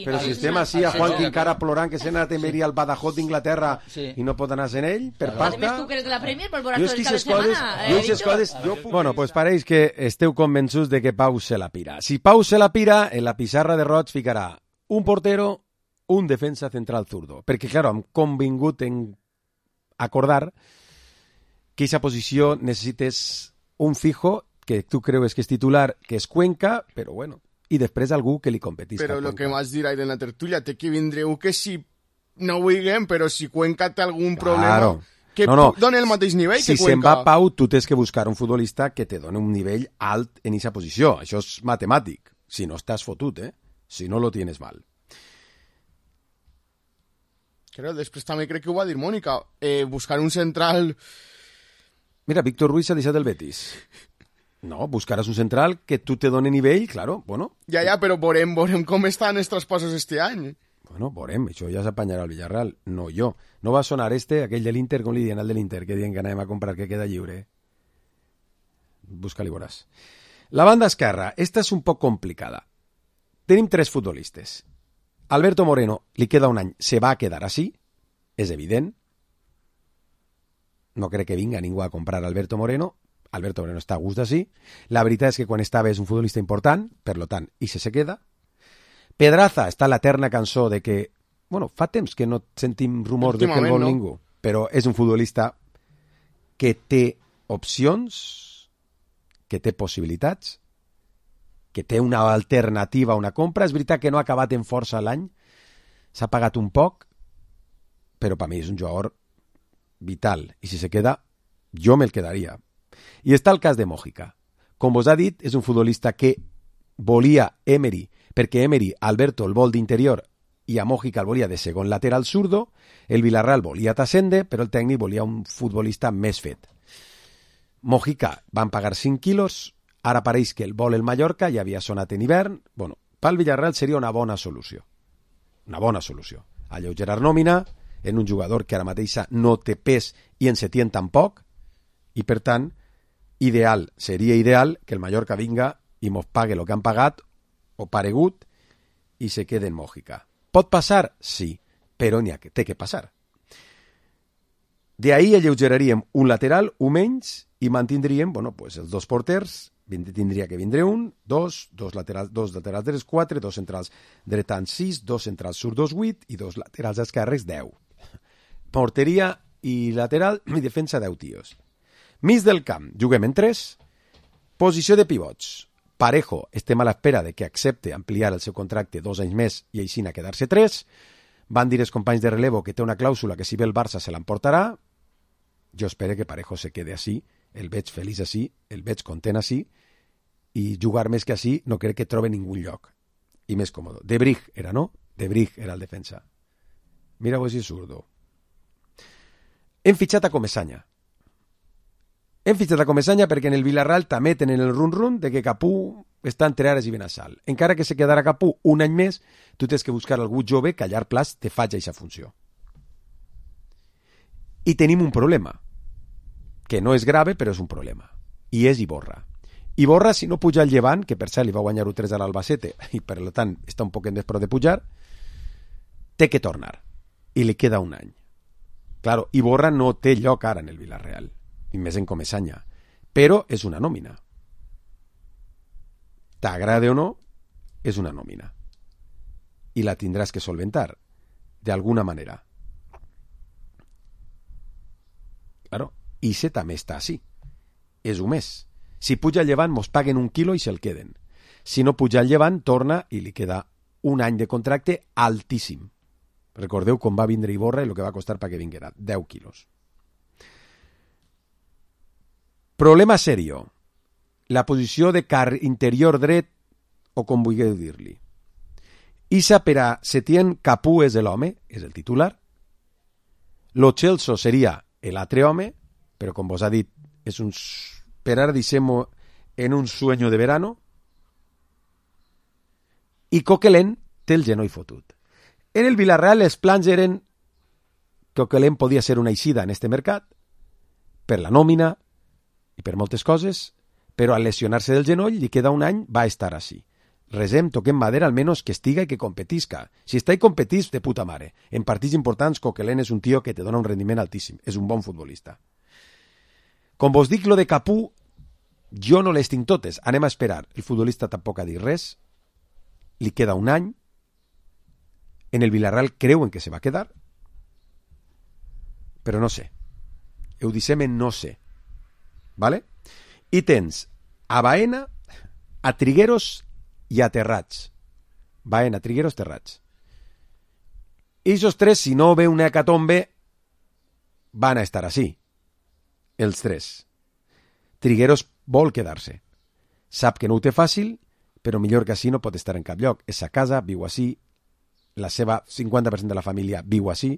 Però si estem així a Juan Quincara plorant que s'ha anat a Emery al Badajoz d'Inglaterra i no pot anar-se'n ell, per pasta... Tu que eres de la Premier, per veure tot el cap de setmana. Bueno, pues pareix que esteu convençuts de que Pau se la pira. Si Pau se la pira, en la pissarra de Roig ficarà un portero, un defensa central zurdo. Perquè, claro, hem convingut en acordar que aquesta posició necessites un fijo que tu creus que és titular, que és Cuenca, però bueno, i després algú que li competisca. Però el que m'has dit en la tertúlia, té que vindre un que si no vulguem, però si Cuenca té algun problema, que doni el mateix nivell que Cuenca. Si se'n va Pau, tu tens que buscar un futbolista que te doni un nivell alt en aquesta posició. Això és matemàtic. Si no estàs fotut, si no lo tienes mal. Però després també crec que ho va dir Mònica, buscar un central... Mira, Víctor Ruiz s'ha deixat el Betis. No, buscaràs un central que tu te doni nivell, claro, bueno. Ja, però veurem com estan els traspassos este any. Bueno, veurem, això ja s'apanyarà al Villarreal, no jo. No va sonar aquell de l'Inter, com li diuen al de l'Inter, que diuen que anem a comprar, que queda lliure. Busca-li, veuràs. La banda esquerra, esta és un poc complicada. Tenim 3 futbolistes. Alberto Moreno, li queda un any, se va a quedar així, és evident. No crec que vinga ningú a comprar Alberto Moreno. Alberto Moreno està a gust d'ací. La veritat és que quan estava és un futbolista important, per lo tant, i se queda. Pedraza està l'eterna cançó de que, bueno, fa temps que no sentim rumor de que el vol ningú, però és un futbolista que té opcions, que té possibilitats, que té una alternativa a una compra. És veritat que no ha acabat en força l'any, s'ha pagat un poc, però per mi és un jugador vital, i si se queda, jo me'l quedaria. I està el cas de Mójica. Com vos ha dit, és un futbolista que volia Emery, perquè Emery, Alberto, el vol d'interior, i a Mójica el volia de segon lateral zurdo, el Villarreal volia Tasende, però el tècnic volia un futbolista més fet. Mójica van pagar 5 quilos, ara pareix que el vol el Mallorca, ja havia sonat en hivern. Bueno, pel Villarreal seria una bona solució. Una bona solució. Alleugerar nòmina en un jugador que ara mateixa no té pes i en se tient tampoc, i per tant, seria ideal que el Mallorca vinga i mos pague el que han pagat o paregut i se quede en Mójica. Pot passar? Sí, però té que passar. D'ahí alleugeraríem un lateral, un menys, i mantindríem, els dos porters, tindria que vindre un, dos laterals drets 4, dos centrals dretans 6, dos centrals zurdos 8 i dos laterals esquerres 10. Porteria i lateral i defensa 10 tios. Mig del camp, juguem en 3. Posició de pivots. Parejo, estem a l'espera de que accepte ampliar el seu contracte 2 anys més i així a quedar-se 3. Van dir els companys de relevo que té una clàusula que si ve el Barça se l'emportarà. Jo espero que Parejo se quede així, el veig feliç així, el veig content així, i jugar més que així no crec que trobe ningú lloc. I més còmode. De Brig era, no? De Brig era el defensa. Mira-ho si és zurdo. Hem fitxat a Comesaña. Hem fitxat a Comesaña perquè en el Villarreal també tenen el run-run de que Capú està entre Ares i Benassal. Encara que se quedarà Capú un any més, tu tens que buscar algú jove que a llarg plaç te faci aquesta funció. I tenim un problema, que no és grave, però és un problema, i és Iborra. Iborra, si no puja el Llevant, que per cert li va guanyar 1-3 a l'Albacete, i per tant està un poc en despro de pujar, té que tornar, i li queda un any. Claro, Iborra no té lloc ara en el Villarreal, i més en Comesaña, però és una nòmina. T'agrade o no, és una nòmina. I la tindràs que solventar, d'alguna manera. Claro, Ise també està així. És un mes. Si puja el Llevant, mos paguen 1 quilo i se'l queden. Si no puja el Llevant, torna i li queda un any de contracte altíssim. Recordeu com va vindre Iborra i el que va costar perquè vinguera, 10 quilos. Problema serio. La posició de interior dret, o com vulgueu dir-li. Issa per a Setién Capú és l'home, és el titular. Lo Celso seria l'altre home, però com vos ha dit, és un, per ara deixem-ho en un sueño de verano. I Coquelin té el genoll fotut. En el Villarreal els plans eren que Coquelin podia ser una eixida en este mercat, per la nòmina i per moltes coses, però al lesionar-se del genoll li queda un any, va estar així. Resem, toquem madera, almenys que estiga i que competisca. Si està i competís, de puta mare. En partits importants, Coquelin és un tio que te dona un rendiment altíssim. És un bon futbolista. Com vos dic, lo de Capú, jo no les tinc totes. Anem a esperar. El futbolista tampoc ha dit res. Li queda un any. En el Villarreal creuen que se va quedar. Però no sé. Ho dissem en no sé. Vale? I tens a Baena, a Trigueros i a Terrats. Baena, Trigueros, Terrats. I esos tres, si no ve una hecatombe, van a estar així. Els tres. Trigueros vol quedar-se. Sap que no ho té fàcil, però millor que així no pot estar en cap lloc. És a casa, viu així, la seva 50% de la família viu així,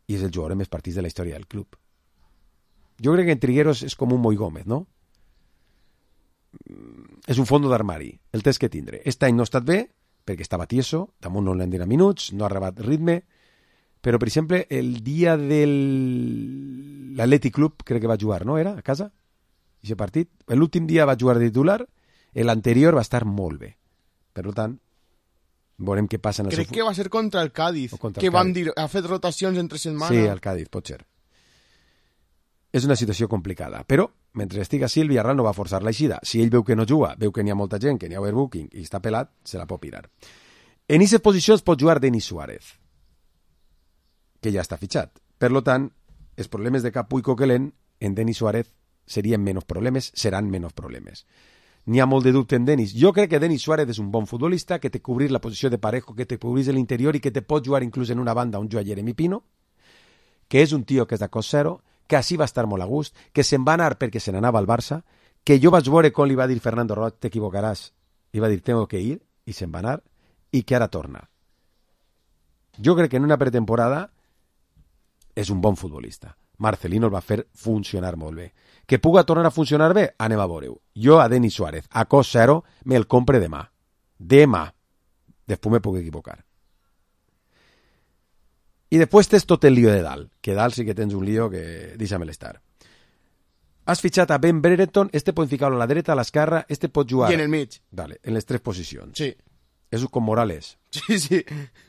i és el jugador amb més partits de la història del club. Jo crec que en Trigueros és com un Moi Gómez, no? És un fondo d'armari, el tens que tindre. Aquest any no ha estat bé, perquè estava tieso, damunt no l'han donat minuts, no ha arribat ritme, però, per exemple, el dia del l'Atlètic Club, crec que va jugar, no? Era a casa? Aquest partit. L'últim dia va jugar de titular, l'anterior va estar molt bé. Per tant, veurem què passa en el crec que va ser contra el Cádiz, que van dir, ha fet rotacions entre setmana. Sí, el Cádiz, pot ser. És una situació complicada, però mentre estigui així el Villarreal no va forçar l'eixida. Si ell veu que no juga, veu que n'hi ha molta gent, que n'hi ha overbooking i està pelat, se la pot pirar. En aquestes posicions pot jugar Denis Suárez, que ja està fitxat. Per tant, els problemes de Capú i Coquelin en Denis Suárez seran menys problemes. N'hi ha molt de dubte en Denis. Jo crec que Denis Suárez és un bon futbolista, que té cobrir la posició de Parejo, que té cobrir l'interior i que te pot jugar inclús en una banda on juga Jeremy Pino, que és un tio que és de cost zero, que així va estar molt a gust, que se'n va anar perquè se n'anava al Barça, que jo vaig veure com li va dir Fernando Roig, t'equivocaràs, i va dir tengo que ir, i se'n va anar, i que ara torna. Jo crec que en una pretemporada és un bon futbolista. Marcelino el va fer funcionar molt bé. Que puga tornar a funcionar bé? Anem a veure-ho. Jo a Denis Suárez, a cost zero, me'l compre demà. Demà. Després me puc equivocar. I després tens tot el lío de dalt, que dalt sí que tens un lío que deixa-me'l estar. Has fitxat a Ben Brereton, pot ficar-lo a la dreta, a l'esquerra, pot jugar... I en el mig. Vale, en les 3 posicions. Sí. És com Morales. Sí.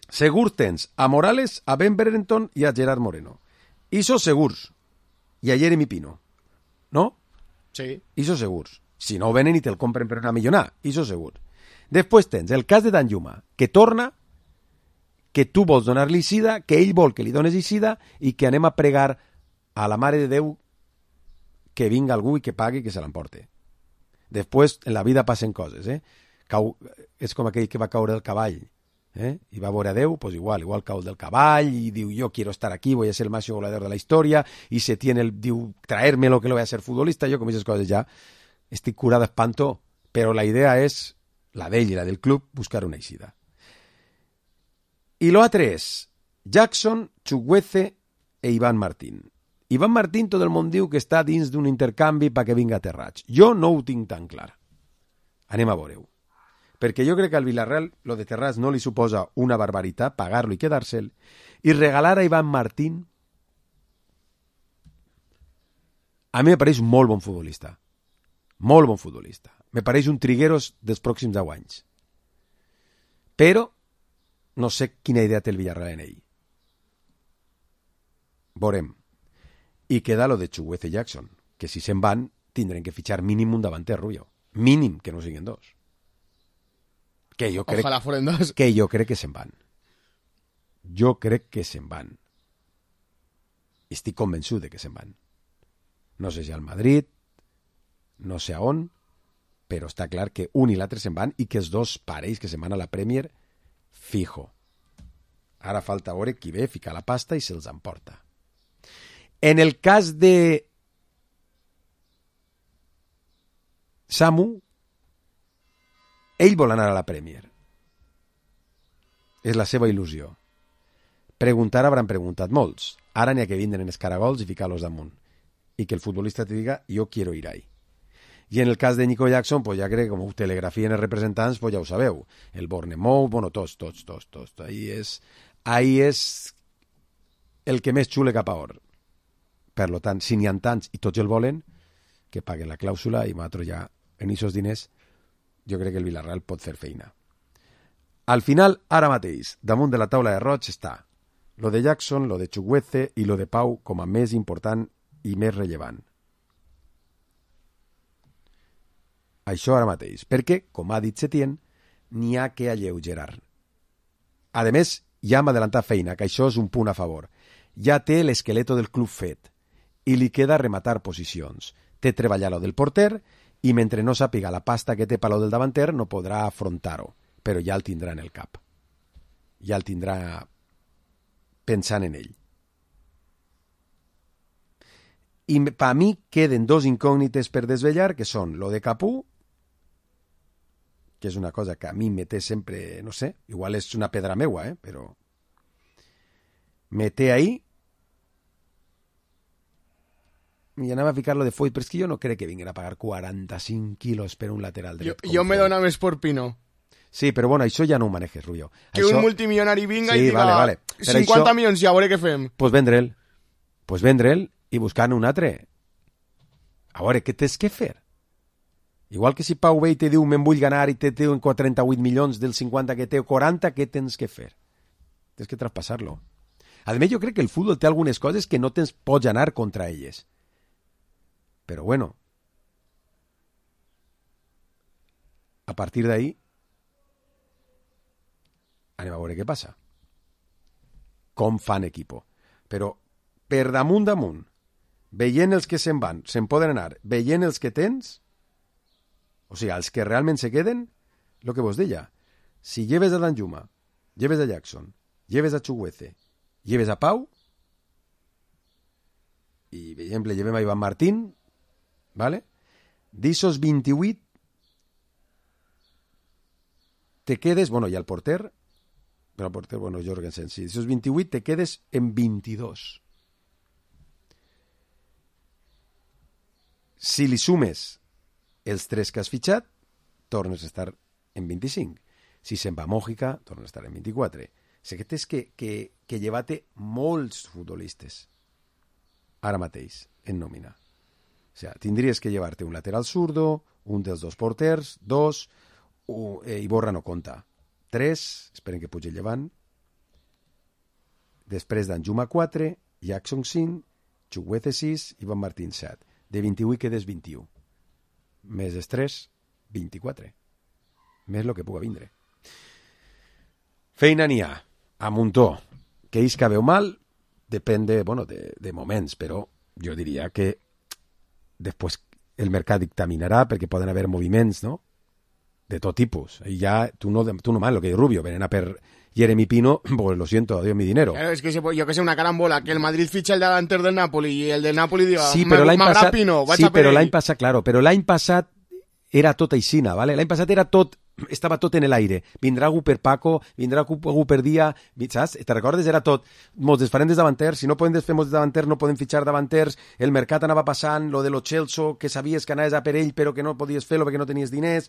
Segur tens a Morales, a Ben Brereton i a Gerard Moreno. I sos segurs. I a Jeremy Pino. No? Sí. I sos segurs. Si no venen i te'l compren per una millonada. I sos segurs. Després tens el cas de Danjuma, que torna, que tu vols donar-li Isida, que ell vol que li dones Isida i que anem a pregar a la Mare de Déu que vinga algú i que pagui i que se l'emporte. Després, en la vida passen coses, és com aquell que va caure del cavall, i va veure a Déu, pues igual cau del cavall i diu, yo quiero estar aquí, voy a ser el máximo goleador de la historia, y se tiene diu, traérmelo que lo voy a ser futbolista. Jo com aquestes coses ja estic curat d'espanto, però la idea és, la d'ell i la del club, buscar una eixida. I l'altre és Jackson, Chukwueze e Iván Martín. Iván Martín tot el món diu que està dins d'un intercanvi perquè vinga a Terrats. Jo no ho tinc tan clar. Anem a veure-ho. Perquè jo crec que al Villarreal lo de Terrats no li suposa una barbaritat pagar-lo i quedar-se'l, i regalar a Iván Martín a mi me pareix molt bon futbolista. Molt bon futbolista. Me pareix un Trigueros dels pròxims 10 anys. Però no sé quina idea té el Villarreal en ell. Veurem. I queda lo de Chukwueze i Jackson, que si se'n van tindrem que fitxar mínim un davanter, Rubio. Mínim, que no siguin dos. Que jo crec, ojalà foren dos. Que jo crec que se'n van. Jo crec que se'n van. Estic convençut de que se'n van. No sé si al Madrid, no sé a on, però està clar que un i l'altre se'n van i que els dos parells que se'n van a la Premier, fijo. Ara falta veure qui ve, ficar la pasta i se'ls emporta. En el cas de Samu, ell vol anar a la Premier. És la seva il·lusió. Preguntar hauran preguntat molts. Ara n'hi ha que vindre en escaragols i ficar-los damunt. I que el futbolista te diga, yo quiero ir ahí. I en el cas de Nico Jackson, pues ja crec que com ho telegrafien els representants, pues ja ho sabeu. El Bournemouth, bueno, tots. Ahí és el que més xule cap a or. Per tant, si n'hi ha tants i tots el volen, que paguen la clàusula i nosaltres ja, en aquests diners, jo crec que el Villarreal pot fer feina. Al final, ara mateix, damunt de la taula de Roig està lo de Jackson, lo de Chukwueze i lo de Pau com a més important i més rellevant. Això ara mateix, perquè, com ha dit Setién, n'hi ha que alleugerar. A més, ja hem adelantat feina, que això és un punt a favor. Ja té l'esqueleto del club fet i li queda rematar posicions. Té treballar lo del porter i mentre no sàpiga la pasta que té per lo del davanter no podrà afrontar-ho, però ja el tindrà en el cap. Ja el tindrà pensant en ell. I per mi queden dos incògnites per desvetllar, que són lo de Capú, que és una cosa que a mi me té sempre, no sé, igual és una pedra meua, però me té ahí i anava a ficar-lo de Foyt, però és que jo no crec que vinguin a pagar 45 quilos per un lateral dret. Jo me dona més por Pino. Sí, però bueno, això ja no ho manejes, Rubio. Que això... un multimilionari vinga sí, i diga vale. 50 això... milions, ja veure què fem. Pues vendre'l i buscar un altre. A veure, què tens que fer? Igual que si Pau ve i te diu me'n vull ganar i te diu en 38 milions dels 50 que té o 40, què tens que fer? Tens que traspassar-lo. A més, jo crec que el futbol té algunes coses que no pots anar contra elles. Però bueno, a partir d'ahí anem a veure què passa. Com fan equipo. Però per damunt, veient els que se'n van, se'n poden anar, veient els que tens, o sigui, els que realment se queden, el que vos deia, si lleves a Danjuma, lleves a Jackson, lleves a Chukwueze, lleves a Pau, i, per exemple, llevem a Iván Martín, ¿vale? D'esos 28, te quedes, bueno, i al porter, però el porter, bueno, Jorgensen, sí, d'esos 28 te quedes en 22. Si li sumes els 3 que has fitxat, tornes a estar en 25. Si se'n va a Mòjica, tornes a estar en 24. O sigui, tens que llevar-te molts futbolistes ara mateix en nòmina. O sigui, tindries que llevar-te un lateral zurdo, un dels 2 porters, 2, Iborra no compta, 3, esperen que pugi llevant, després Danjuma 4, Jackson 5, Chukwueze 6, Iván Martín 7. De 28 quedes 21. Més estrès, 24. Més el que puga vindre. Feina n'hi ha, a muntó. Que ells que veu mal, depèn de moments, però jo diria que després el mercat dictaminarà perquè poden haver moviments, no?, de tot tipus. I ja, tu no mal, lo que diu Rubio, venen a per Jeremy Pino, pues lo siento, adiós mi dinero. Claro, es que yo que sé, una carambola, que el Madrid ficha el delanter del Napoli y el del Napoli diga, sí, però l'any passat, Pino, però l'any passat, claro, però l'any passat era tot aixina, ¿vale? L'any passat era tot, estava tot en l'aire. Vindrà algú per Paco, vindrà algú per Dia, saps? Te recordes? Era tot. Mos desfarem des davanters, si no podem desfer mos davanters, no podem fitxar davanters, el mercat anava passant, lo de lo Chelsea, que sabies que anaves a per ell, però que no podies fer-lo perquè no tenies diners.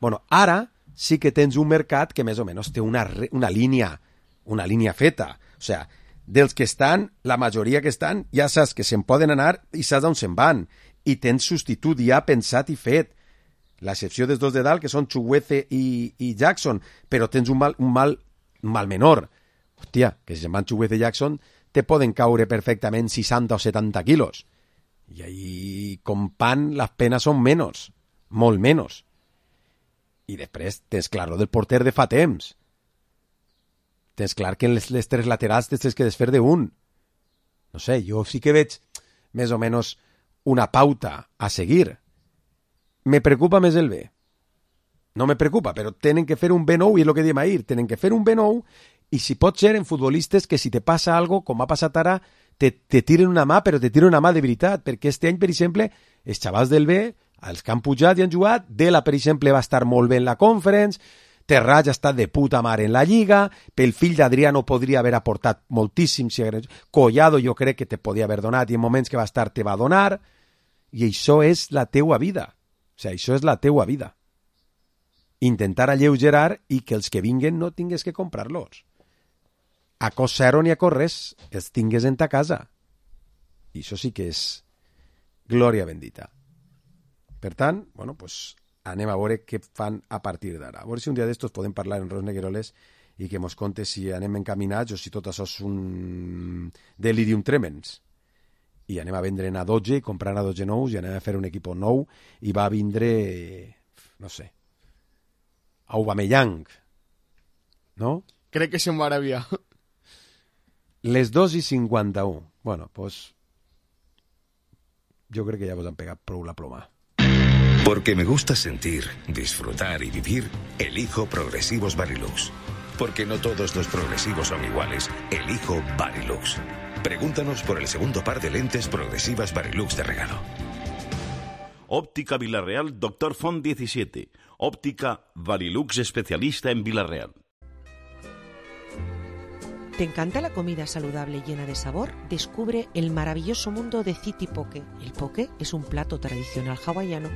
Bueno, ara sí que tens un mercat que més o menys té una línia feta. O sigui, dels que estan, la majoria que estan, ja saps que se'n poden anar i saps on se'n van. I tens substitut ja pensat i fet. L'excepció dels 2 de dalt, que són Chukwueze i Jackson, però tens un mal menor. Hòstia, que si se'n van Chukwueze i Jackson, te poden caure perfectament 60 o 70 quilos. I ahí, com pan, les penes són menys, molt menys. I després tens clar lo del porter de fa temps. Tens clar que en les 3 laterals tens que desfer d'un. No sé, jo sí que veig més o menys una pauta a seguir. Me preocupa més el B. No me preocupa, però tenen que fer un B9, i és el que diem ahir, tenen que fer un B9, i si pot ser en futbolistes que si te passa algo, com ha passat ara, te tiren una mà, però te tiren una mà de veritat, perquè este any, per exemple, els xavals del B, els que han pujat i han jugat, Dela, per exemple, va estar molt bé en la Conference, Terrats ha estat de puta mare en la Lliga, pel fill d'Adriano podria haver aportat moltíssim, Collado jo crec que te podia haver donat, i en moments que va estar te va donar, i això és la teua vida. O sigui, això és la teua vida. Intentar alleugerar i que els que vinguen no tingues que comprar-los. A cos zero ni a cos res, els tingues en ta casa. I això sí que és glòria bendita. Per tant, bueno, pues anem a veure què fan a partir d'ara. A veure si un dia d'estos podem parlar en Ros Negueroles i que mos conte si anem encaminats o si tot això és un delirium tremens. I anem a vendre a 12 i comprar a 12 nous i anem a fer un equip nou i va vindre, no sé, Aubameyang, no? Crec que se'n va arabiar. Les 2:51. Bueno, pues jo crec que ja vos han pegat prou la ploma. Porque me gusta sentir, disfrutar y vivir, elijo Progresivos Varilux. Porque no todos los progresivos son iguales, elijo Varilux. Pregúntanos por el segundo par de lentes progresivas Varilux de regalo. Óptica Villarreal, Dr. Font 17. Óptica Varilux, especialista en Villarreal. ¿Te encanta la comida saludable llena de sabor? Descubre el maravilloso mundo de City Poke. El poke es un plato tradicional hawaiano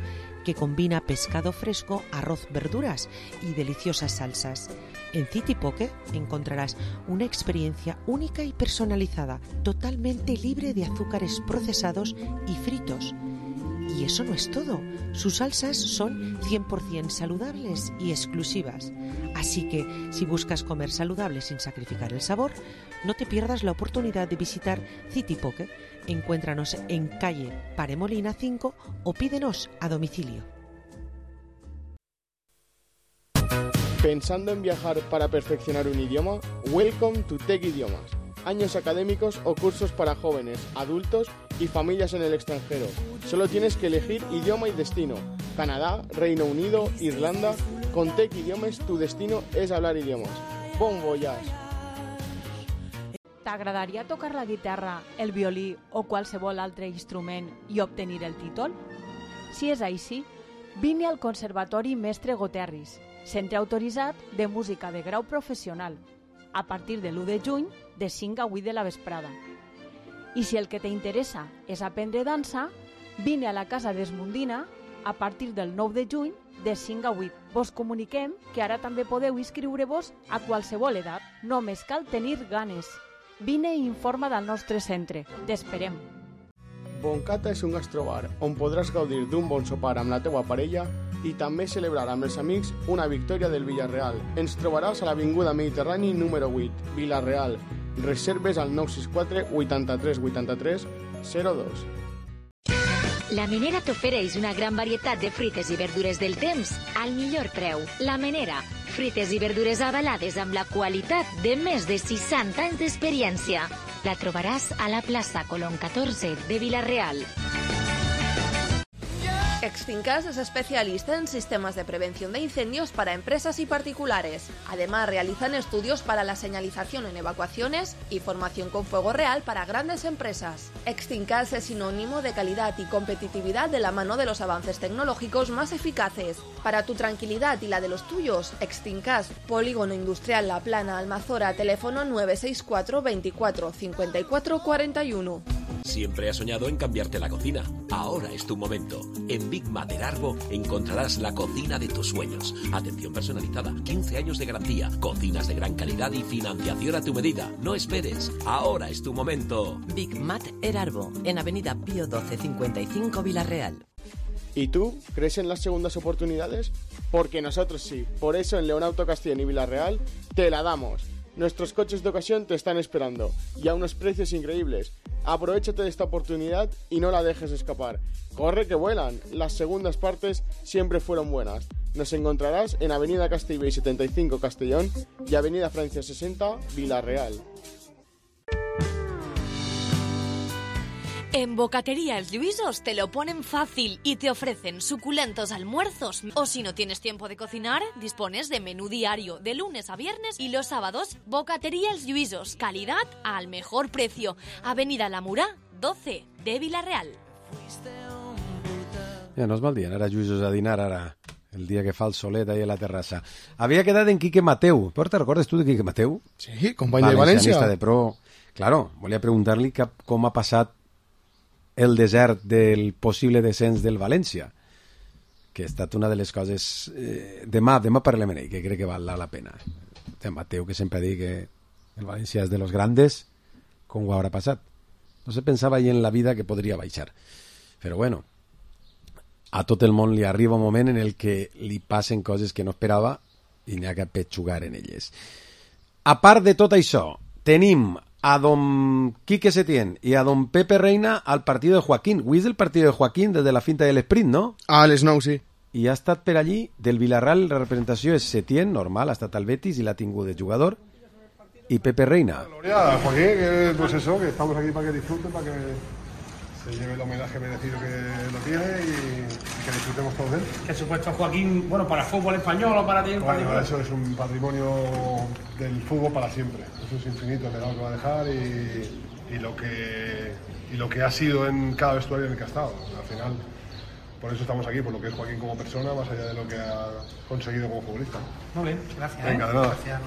que combina pescado fresco, arroz, verduras y deliciosas salsas. En City Poke encontrarás una experiencia única y personalizada, totalmente libre de azúcares procesados y fritos. Y eso no es todo. Sus salsas son 100% saludables y exclusivas. Así que, si buscas comer saludable sin sacrificar el sabor, no te pierdas la oportunidad de visitar City Poke. Encuéntranos en calle Paremolina 5 o pídenos a domicilio. ¿Pensando en viajar para perfeccionar un idioma? Welcome to Tech Idiomas. Años académicos o cursos para jóvenes, adultos y familias en el extranjero. Solo tienes que elegir idioma y destino. Canadá, Reino Unido, Irlanda. Con Tech Idiomes tu destino és hablar idiomes. Bon voyage! T'agradaria tocar la guitarra, el violí o qualsevol altre instrument i obtenir el títol? Si és així, vine al Conservatori Mestre Goterris, centre autoritzat de música de grau professional, a partir de l'1 de juny de 5 a 8 de la vesprada. I si el que t'interessa és aprendre dansa, vine a la Casa d'Esmundina a partir del 9 de juny de 5 a 8. Vos comuniquem que ara també podeu inscriure-vos a qualsevol edat. Només cal tenir ganes. Vine i informa del nostre centre. T'esperem. Boncata és un gastrobar on podràs gaudir d'un bon sopar amb la teua parella i també celebrar amb els amics una victòria del Villarreal. Ens trobaràs a l'Avinguda Mediterrani número 8, Villarreal. Reserves al 964 83 83 02. La Menera t'ofereix una gran varietat de fruites i verdures del temps al millor preu. La Menera, fruites i verdures avalades amb la qualitat de més de 60 anys d'experiència. La trobaràs a la plaça Colón 14 de Villarreal. Extincas es especialista en sistemas de prevención de incendios para empresas y particulares. Además, realizan estudios para la señalización en evacuaciones y formación con fuego real para grandes empresas. Extincas es sinónimo de calidad y competitividad de la mano de los avances tecnológicos más eficaces. Para tu tranquilidad y la de los tuyos, Extincas, Polígono Industrial La Plana, Almazora, teléfono 964 24 54 41. Siempre has soñado en cambiarte la cocina. Ahora es tu momento. En Big Mater Arbo encontrarás la cocina de tus sueños. Atención personalizada, 15 años de garantía, cocinas de gran calidad y financiación a tu medida. No esperes. Ahora es tu momento. Big Mater Arbo, en Avenida Pío 12 55 Villarreal. ¿Y tú? ¿Crees en las segundas oportunidades? Porque nosotros sí. Por eso en León Auto Castellón y Villarreal te la damos. Nuestros coches de ocasión te están esperando y a unos precios increíbles. Aprovechate de esta oportunidad y no la dejes escapar. ¡Corre que vuelan! Las segundas partes siempre fueron buenas. Nos encontrarás en Avenida Castellbell 75 Castellón y Avenida Francia 60 Villarreal. En Bocatería Els Lluïsos te lo ponen fácil y te ofrecen suculentos almuerzos. O si no tienes tiempo de cocinar, dispones de menú diario de lunes a viernes y los sábados. Bocatería Els Lluïsos, calidad al mejor precio. Avenida La Murà, 12 de Villarreal. Ja no és mal dia anar a Lluïsos a dinar ara, el dia que fa el solet ahí a la terrassa. Havia quedat en Quique Mateu. Però te recordes tu de Quique Mateu? Sí, company de València. De pro. Claro, volia preguntar-li com ha passat el desert del possible descens del València, que ha estat una de les coses... Demà parlem en ell, que crec que val la pena. De Mateu, que sempre ha dit que el València és de los grandes, com ho haurà passat. No se pensava ahir en la vida que podria baixar. Però bueno, a tot el món li arriba un moment en el que li passen coses que no esperava i n'hi ha que petxugar en elles. A part de tot això, tenim a don Quique Setién y a don Pepe Reina al partido de Joaquín. Avui és el partido de Joaquín desde la finta del sprint, ¿no? A les 9, sí. I ha estat per allí, del Villarreal, la representació és Setién, normal, ha estat al Betis i l'ha tingut de jugador, y Pepe Reina. Gloria, Joaquín, que, pues eso, que estamos aquí para que disfruten, para que se lleve el homenaje merecido que lo tiene y que disfrutemos todos de él. Que supuesto Joaquín, bueno, para el fútbol español o para ti. Bueno, eso es un patrimonio del fútbol para siempre. Eso es infinito, el legado que va a dejar y lo que ha sido en cada vestuario en el que ha estado. Al final, por eso estamos aquí, por lo que es Joaquín como persona, más allá de lo que ha conseguido como futbolista. Muy bien, gracias. Venga, de nada. Gracias.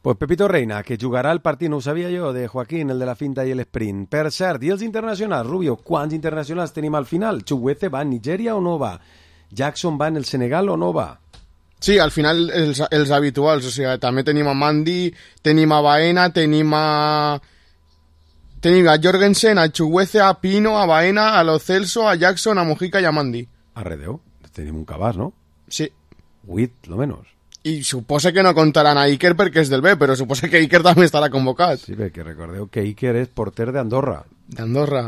Pues Pepito Reina, que jugarà el partit, no ho sabia jo, de Joaquín, el de la finta i l'esprint. Per cert, i els internacionals, Rubio, quants internacionals tenim al final? Chukwueze va a Nigèria o no va? Jackson va en el Senegal o no va? Sí, al final els habituals, o sigui, també tenim a Mandi, tenim a Baena, tenim a Jorgensen, a Chukwueze, a Pino, a Baena, a Lo Celso, a Jackson, a Mojica i a Mandi. Arredeu, tenim un cabàs, no? Sí. 8, lo menos. I suposa que no contaran a Iker perquè és del B, però suposa que Iker també estarà convocat. Sí, perquè recordeu que Iker és porter d'Andorra. D'Andorra.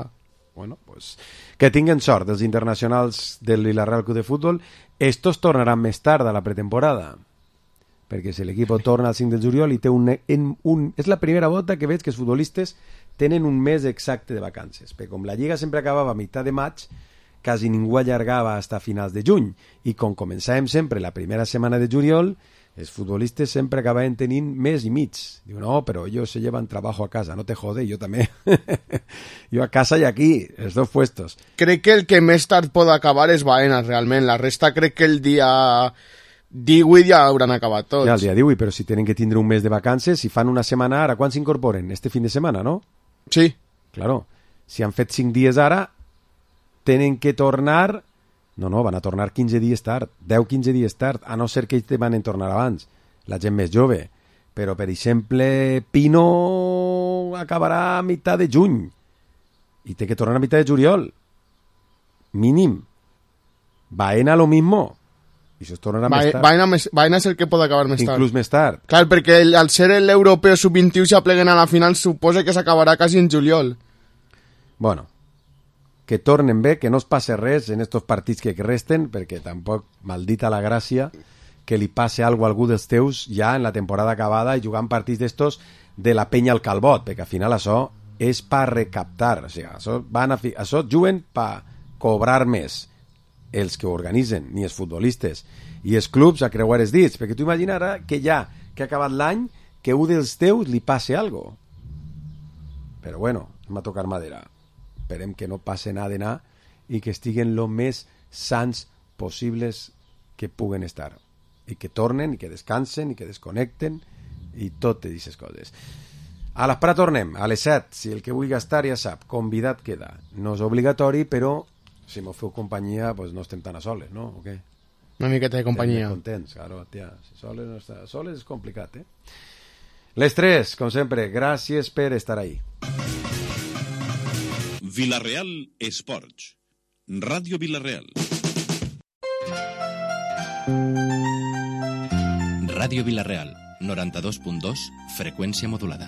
Bueno, pues que tinguen sort els internacionals del Villarreal Club de Futbol. Estos tornaran més tard a la pretemporada, perquè si l'equip torna al 5 de juliol i té és la primera volta que veig que els futbolistes tenen un mes exacte de vacances, perquè com la Lliga sempre acabava a meitat de maig, quasi ningú allargava fins a finals de juny, i com començàvem sempre la primera setmana de juliol, els futbolistes sempre acabaven tenint mes i mig. Diu, no, però ellos se llevan trabajo a casa, no te jode, yo també. Jo a casa i aquí, els dos puestos. Crec que el que més tard pot acabar és Baena, realment. La resta crec que el dia 18 ja hauran acabat tots. Ja, el dia 18, però si tenen que tindre un mes de vacances, si fan una setmana ara, quan s'incorporen? Este fin de setmana, no? Sí. Claro. Si han fet 5 dies ara, tenen que tornar... No, van a tornar 15 dies tard, 10-15 dies tard, a no ser que ells van a tornar abans, la gent més jove. Però, per exemple, Pino acabarà a meitat de juny i té que tornar a meitat de juliol. Mínim. Baena lo mismo. I això es tornarà més tard. Baena és el que pot acabar més tard. Inclús més tard. Clar, perquè al ser l'europeu sub-21 s'apleguen a la final, suposa que s'acabarà quasi en juliol. Bueno, que tornen bé, que no es passe res en estos partits que resten, perquè tampoc, maldita la gràcia, que li passe algo a algú dels teus ja en la temporada acabada i jugant partits d'estos de la penya al calbot, perquè al final això és per recaptar, o sigui, això juguen per cobrar més els que organitzen, ni els futbolistes, i els clubs a creuar els dits, perquè tu imagina ara que ja que ha acabat l'any, que un dels teus li passe algo. Però bueno, m'ha tocat madera. Esperem que no passe nada de nada i que estiguen lo més sants possibles que puguen estar. I que tornen, i que descansen, i que desconnecten, i totes aquestes coses. A l'esperar tornem, a les 7. Si el que vulgui estar ja sap, convidat queda. No és obligatori, però si m'ho feu companyia, pues no estem tan a soles, no? O què? Una miqueta de companyia. Estem contents, claro, tia. Si soles no està... Soles és complicat, eh? Les 3, com sempre, gràcies per estar ahí. Villarreal Esports. Ràdio Villarreal. Ràdio Villarreal, 92.2, freqüència modulada.